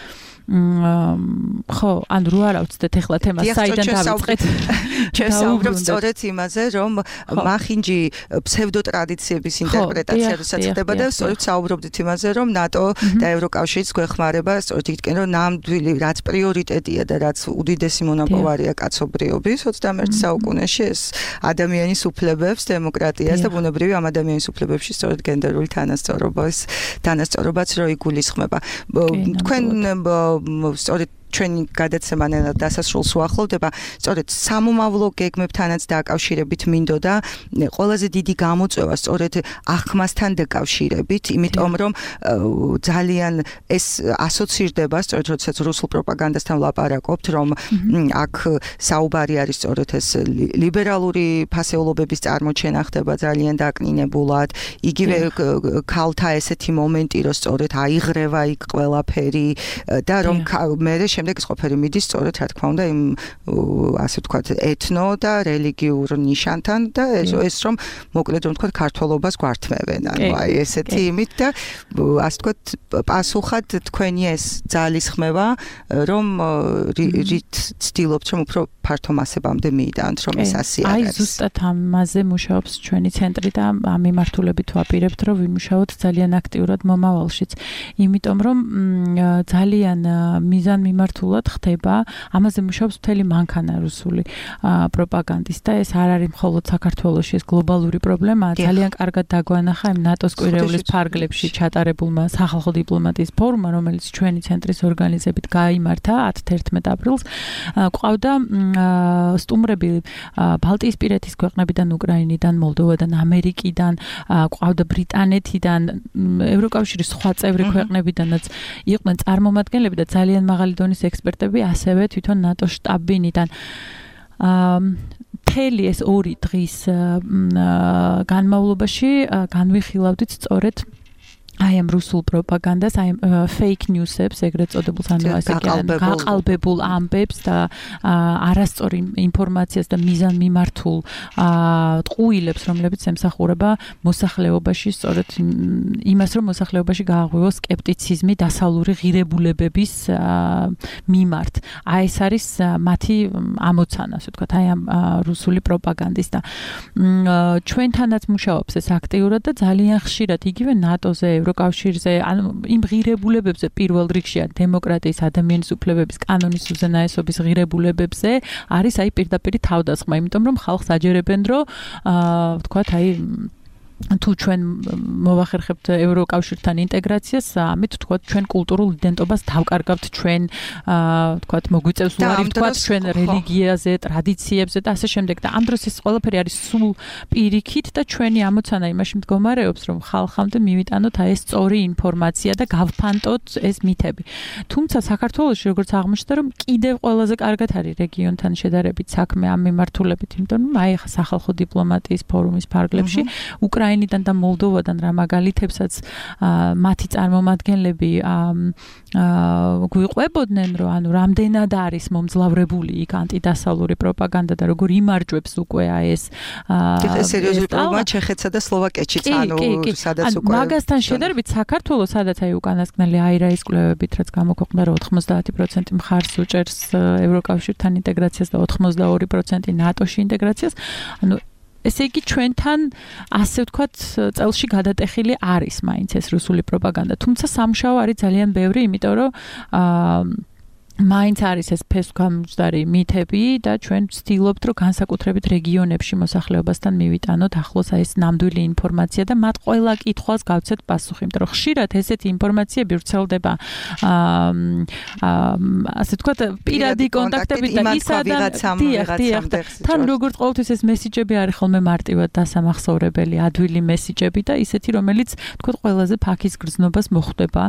ხო, ან რო არ ავწდეთ ეხლა თემას საიდან დავიწყეთ? ჩვენ საუბრობთ სწორედ იმაზე, რომ მახინჯი ფსევდოტრადიციების ინტერპრეტაცია როცა ხდება და სწორედ საუბრობთ იმაზე, რომ ნატო და ევროკავშირიც გვეხმარება სწორედ იქიდან, რომ ნამდვილი რაც პრიორიტეტია და რაც უდიდესი მონაპოვარია კაცობრიობის ოცდამეერთე საუკუნეში ეს ადამიანის უფლებებს, დემოკრატიას და ბუნებრივი ამ ადამიანის უფლებებში სწორედ გენდერული თანასწორობას, თანასწორობაც რო იგულისხმება. თქვენ სწორედ ჩვენი გადაცემა დასასრულს უახლოვდება, სწორედ სამომავლო გეგმებთანაც დაკავშირებით მინდოდა ყველაზე დიდი გამოწვევა სწორედ აღქმასთან დაკავშირებით, იმიტომ რომ ძალიან ეს ასოცირდება, სწორედ როდესაც რუსულ პროპაგანდასთან ვლაპარაკობთ, რომ აქ საუბარი არის სწორედ ეს ლიბერალური ფასეულობების წარმოჩენა ხდება ძალიან დაკნინებულად, იგივე ქალთა ესეთი მომენტი, რომ სწორედ აიღრევა იქ ყველაფერი და რომ მე შემდეგ ეს ყოფილი მიდის სწორედ რა თქმა უნდა იმ ასე ვთქვათ ეთნო და რელიგიურ ნიშანთან და ეს რომ მოკლედ რომ ვთქვათ ქართველობას გვართმევენ ანუ აი ესეთი იმით და ასე ვთქვათ პასუხად თქვენი ეს ძალისხმევა რომ რით ცდილობთ რომ უფრო ფართო მასებამდე მიიდანთ რომ ეს ასე არის. აი ზუსტად ამაზე მუშაობს ჩვენი ცენტრი და ამ მიმართულებით ვაპირებთ რომ ვიმუშაოთ ძალიან აქტიურად მომავალშიც. იმიტომ რომ ძალიან მიზანმიმართული მიმართულად ხდება, ამაზე მუშაობს მთელი მანქანა რუსული პროპაგანდის და ეს არ არის მხოლოდ საქართველოში, ეს გლობალური პრობლემაა. ძალიან კარგად დაგვანახა იმ ნატოს კვირეულის ფარგლებში ჩატარებულმა სახალხო დიპლომატიის ფორუმმა, რომელიც ჩვენი ცენტრის ორგანიზებით გაიმართა ათი-თერთმეტი აპრილს. ყავდა სტუმრები ბალტიისპირეთის ქვეყნებიდან, უკრაინიდან, მოლდოვადან, ამერიკიდან, ყავდა ბრიტანეთიდან, ევროკავშირის სხვა წევრი ქვეყნებიდანაც იყვნენ წარმომადგენლები და ძალიან მაღალი დონის ექსპერტები, ასევე თვითონ ნატოს შტაბინიდან. მთელი ეს ორი დღის განმავლობაში განვიხილავდით სწორედ აი ამ რუსულ პროპაგანდას, აი ამ fake news-ებს, ეგრეთ წოდებულს, ანუ ასე გაყალბებულ ამბებს და არასწორ ინფორმაციას და მიზანმიმართულ ტყუილებს, რომლებიც ემსახურება მოსახლეობაში, სწორედ იმას, რომ მოსახლეობაში გააღვივოს სკეპტიციზმი დასავლური ღირებულებების მიმართ. აი ეს არის მათი ამოცანა, ასე ვთქვათ, აი ამ რუსული პროპაგანდის და ჩვენთანაც მუშაობს ეს აქტიურად და ძალიან ხშირად იგივე ნატოზე კავშირზე, ანუ იმ ღირებულებებზე პირველ რიგში დემოკრატიის, ადამიანის უფლებების, კანონის უზენაესობის ღირებულებებზე არის აი პირდაპირ თავდასხმა, იმიტომ რომ ხალხს აჯერებენ, რომ აა ვთქვათ, აი თუ ჩვენ მოვახერხებთ ევროკავშირთან ინტეგრაციას, ამით ვთქვათ ჩვენ კულტურულ იდენტობას დავკარგავთ, ჩვენ ვთქვათ მოგვიწევს უარი ვთქვათ ჩვენ რელიგიაზე, ტრადიციებზე და ასე შემდეგ და ამ დროს ეს ყველაფერი არის სულ პირიქით და ჩვენი ამოცანა იმაში მდგომარეობს, რომ ხალხამდე მივიტანოთ აი ეს სწორი ინფორმაცია და გავფანტოთ ეს მითები. თუმცა საქართველოში როგორც აღმოჩნდა, რომ კიდევ ყველაზე კარგად არის რეგიონთან შედარებით საქმე ამ მიმართულებით, იმიტომ რომ აი ახლა სახალხო დიპლომატიის ფორუმის ფარგლებში უკრაინა უკრაინიდან და მოლდოვადან რა მაგალითებსაც მათი წარმომადგენლები გვიყვებოდნენ, რომ ანუ რამდენად არის მომძლავრებული იქ ანტიდასავლური პროპაგანდა და როგორ იმარჯვებს უკვე აი ეს სერიოზული პრობლემა ჩეხეთსა და სლოვაკეთშიც, ანუ სადაც უკვე მაგასთან შედარებით საქართველოს, სადაც აი უკანასკნელი აირაის კვლევებით რაც გამოქვეყნდა, რომ ოთხმოცდაათი პროცენტი მხარს უჭერს ევროკავშირთან ინტეგრაციას და ოცდაორი პროცენტი ნატოში ინტეგრაციას, ანუ ესე იგი ჩვენთან ასე ვთქვათ წელში გადატეხილი არის მაინც ეს რუსული პროპაგანდა, თუმცა სამშაო არის ძალიან ბევრი, იმიტომ რომ აა მაინც არის ეს ფესვგამოჯდარი მითები და ჩვენ ვცდილობთ, რომ განსაკუთრებით რეგიონებში მოსახლეობასთან მივიტანოთ ახლოს აი ეს ნამდვილი ინფორმაცია და მათ ყველა კითხვას გავცეთ პასუხი, იმიტომ რომ ხშირად ესეთი ინფორმაციები ვრცელდება ასე ვთქვათ პირადი კონტაქტებით და ის ადამიანი თან როგორც ყოველთვის ეს მესიჯები არის ხოლმე მარტივად დასამახსოვრებელი, ადვილი მესიჯები და ისეთი, რომელიც ვთქვათ ყველაზე ფაქის გრძნობას მოხვდება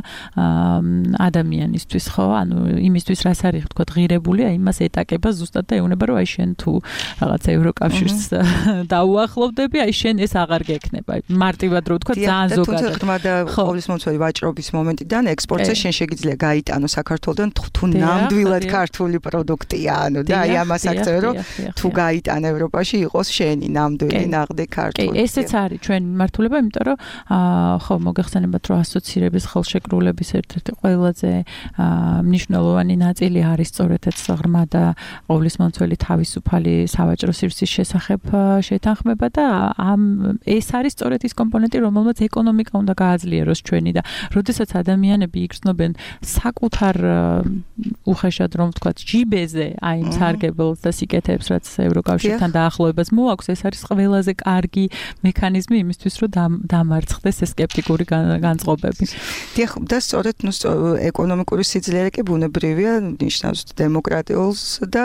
ადამიანისთვის, ხო? ანუ იმისთვის რას არის ვთქვათ ღირებული, აი იმას ეტაკება ზუსტად და ეუბნება, რომ აი შენ თუ რაღაც ევროკავშირს დაუახლოვდები, აი შენ ეს აღარ გექნება. მარტივად რო ვთქვათ ძალიან ზოგადად. თუმცა ღრმა და ყოვლისმომცველი ვაჭრობის მომენტიდან ექსპორტზე შენ შეგიძლია გაიტანო საქართველოსთან თუ ნამდვილად ქართული პროდუქტია, ანუ და აი ამას აქცევ, რომ თუ გაიტან ევროპაში იყოს შენი ნამდვილი ნაღდი ქართული. კი, ესეც არის ჩვენი მართულება, იმიტომ რომ ხო მოგეხსენებათ, რომ ასოცირების ხელშეკრულების ერთ-ერთი ყველაზე მნიშვნელოვანი ნაწილი არის სწორედ ეს ღრმა და ყოვლისმომცველი თავისუფალი სავაჭრო სივრცის შესახებ შეთანხმება და ამ ეს არის სწორედ ის კომპონენტი, რომელმაც ეკონომიკა უნდა გააძლიეროს ჩვენი და როდესაც ადამიანები იგრძნობენ საკუთარ უხეშად რომ ვთქვათ ჯიბეზე აი იმ სარგებელს და სიკეთეებს, რაც ევროკავშირთან დაახლოებას მოაქვს, ეს არის ყველაზე კარგი მექანიზმი იმისთვის, რომ დამარცხდეს ეს სკეპტიკური განწყობები. დიახ, და სწორედ ნუ ეკონომიკური სიძლიერე კი ბუნებრივია, ნიშნავს დემოკრატიულს და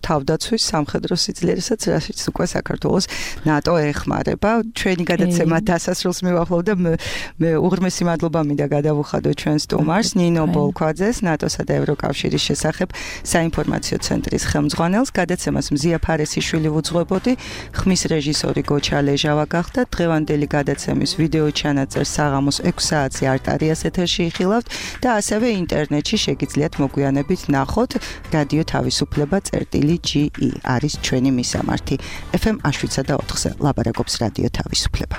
თავდაცვის სამხედრო სიძლიერესაც, რასაც უკვე საქართველოს ნატო ეხმარება. ჩვენი გადაცემა დასასრულს მივახლოვ და მე უღრმესი მადლობა მინდა გადავუხადო ჩვენ სტუმარს, ნინო ბოლქვაძეს, ნატოსა და ევროკავშირის შესახებ საინფორმაციო ცენტრის ხელმძღვანელს. გადაცემას მზია ფარესიშვილი უძღვებოდი, ხმის რეჟისორი გოჩა ლეჟავა გახდა. დღევანდელი გადაცემის ვიდეო ჩანაწერს საღამოს ექვსი საათზე არტარიას ეთერში იხილავთ და ასევე ინტერნეტში შეგიძლიათ მოგვიანებით ნახოთ. რადიო თავისუფლება წერტილი ჯი ი არის ჩვენი მისამართი. ეფ ემ შვიდსა და ოთხზე ლაპარაკობს რადიო თავისუფლება.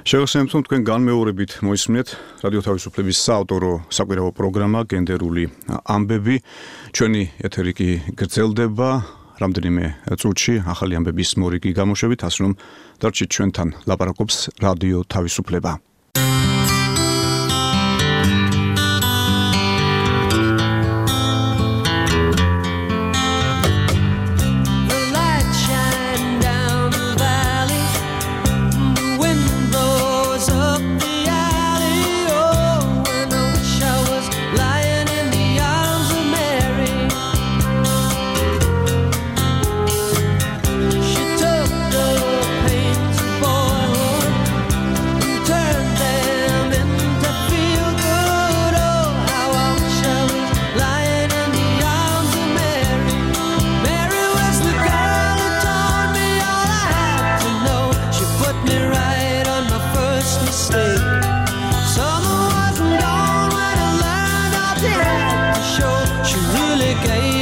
შევასრულებთ თქვენ განმეორებით მოისმინეთ რადიო თავისუფლების საავტორო საკვირაო პროგრამა გენდერული ამბები. ჩვენი ეთერი კი გრძელდება. რამდენიმე წუთში ახალი ამბების მორიგი გამოშვებით, ასე რომ დარჩით ჩვენთან, ლაპარაკობს რადიო თავისუფლება. Gave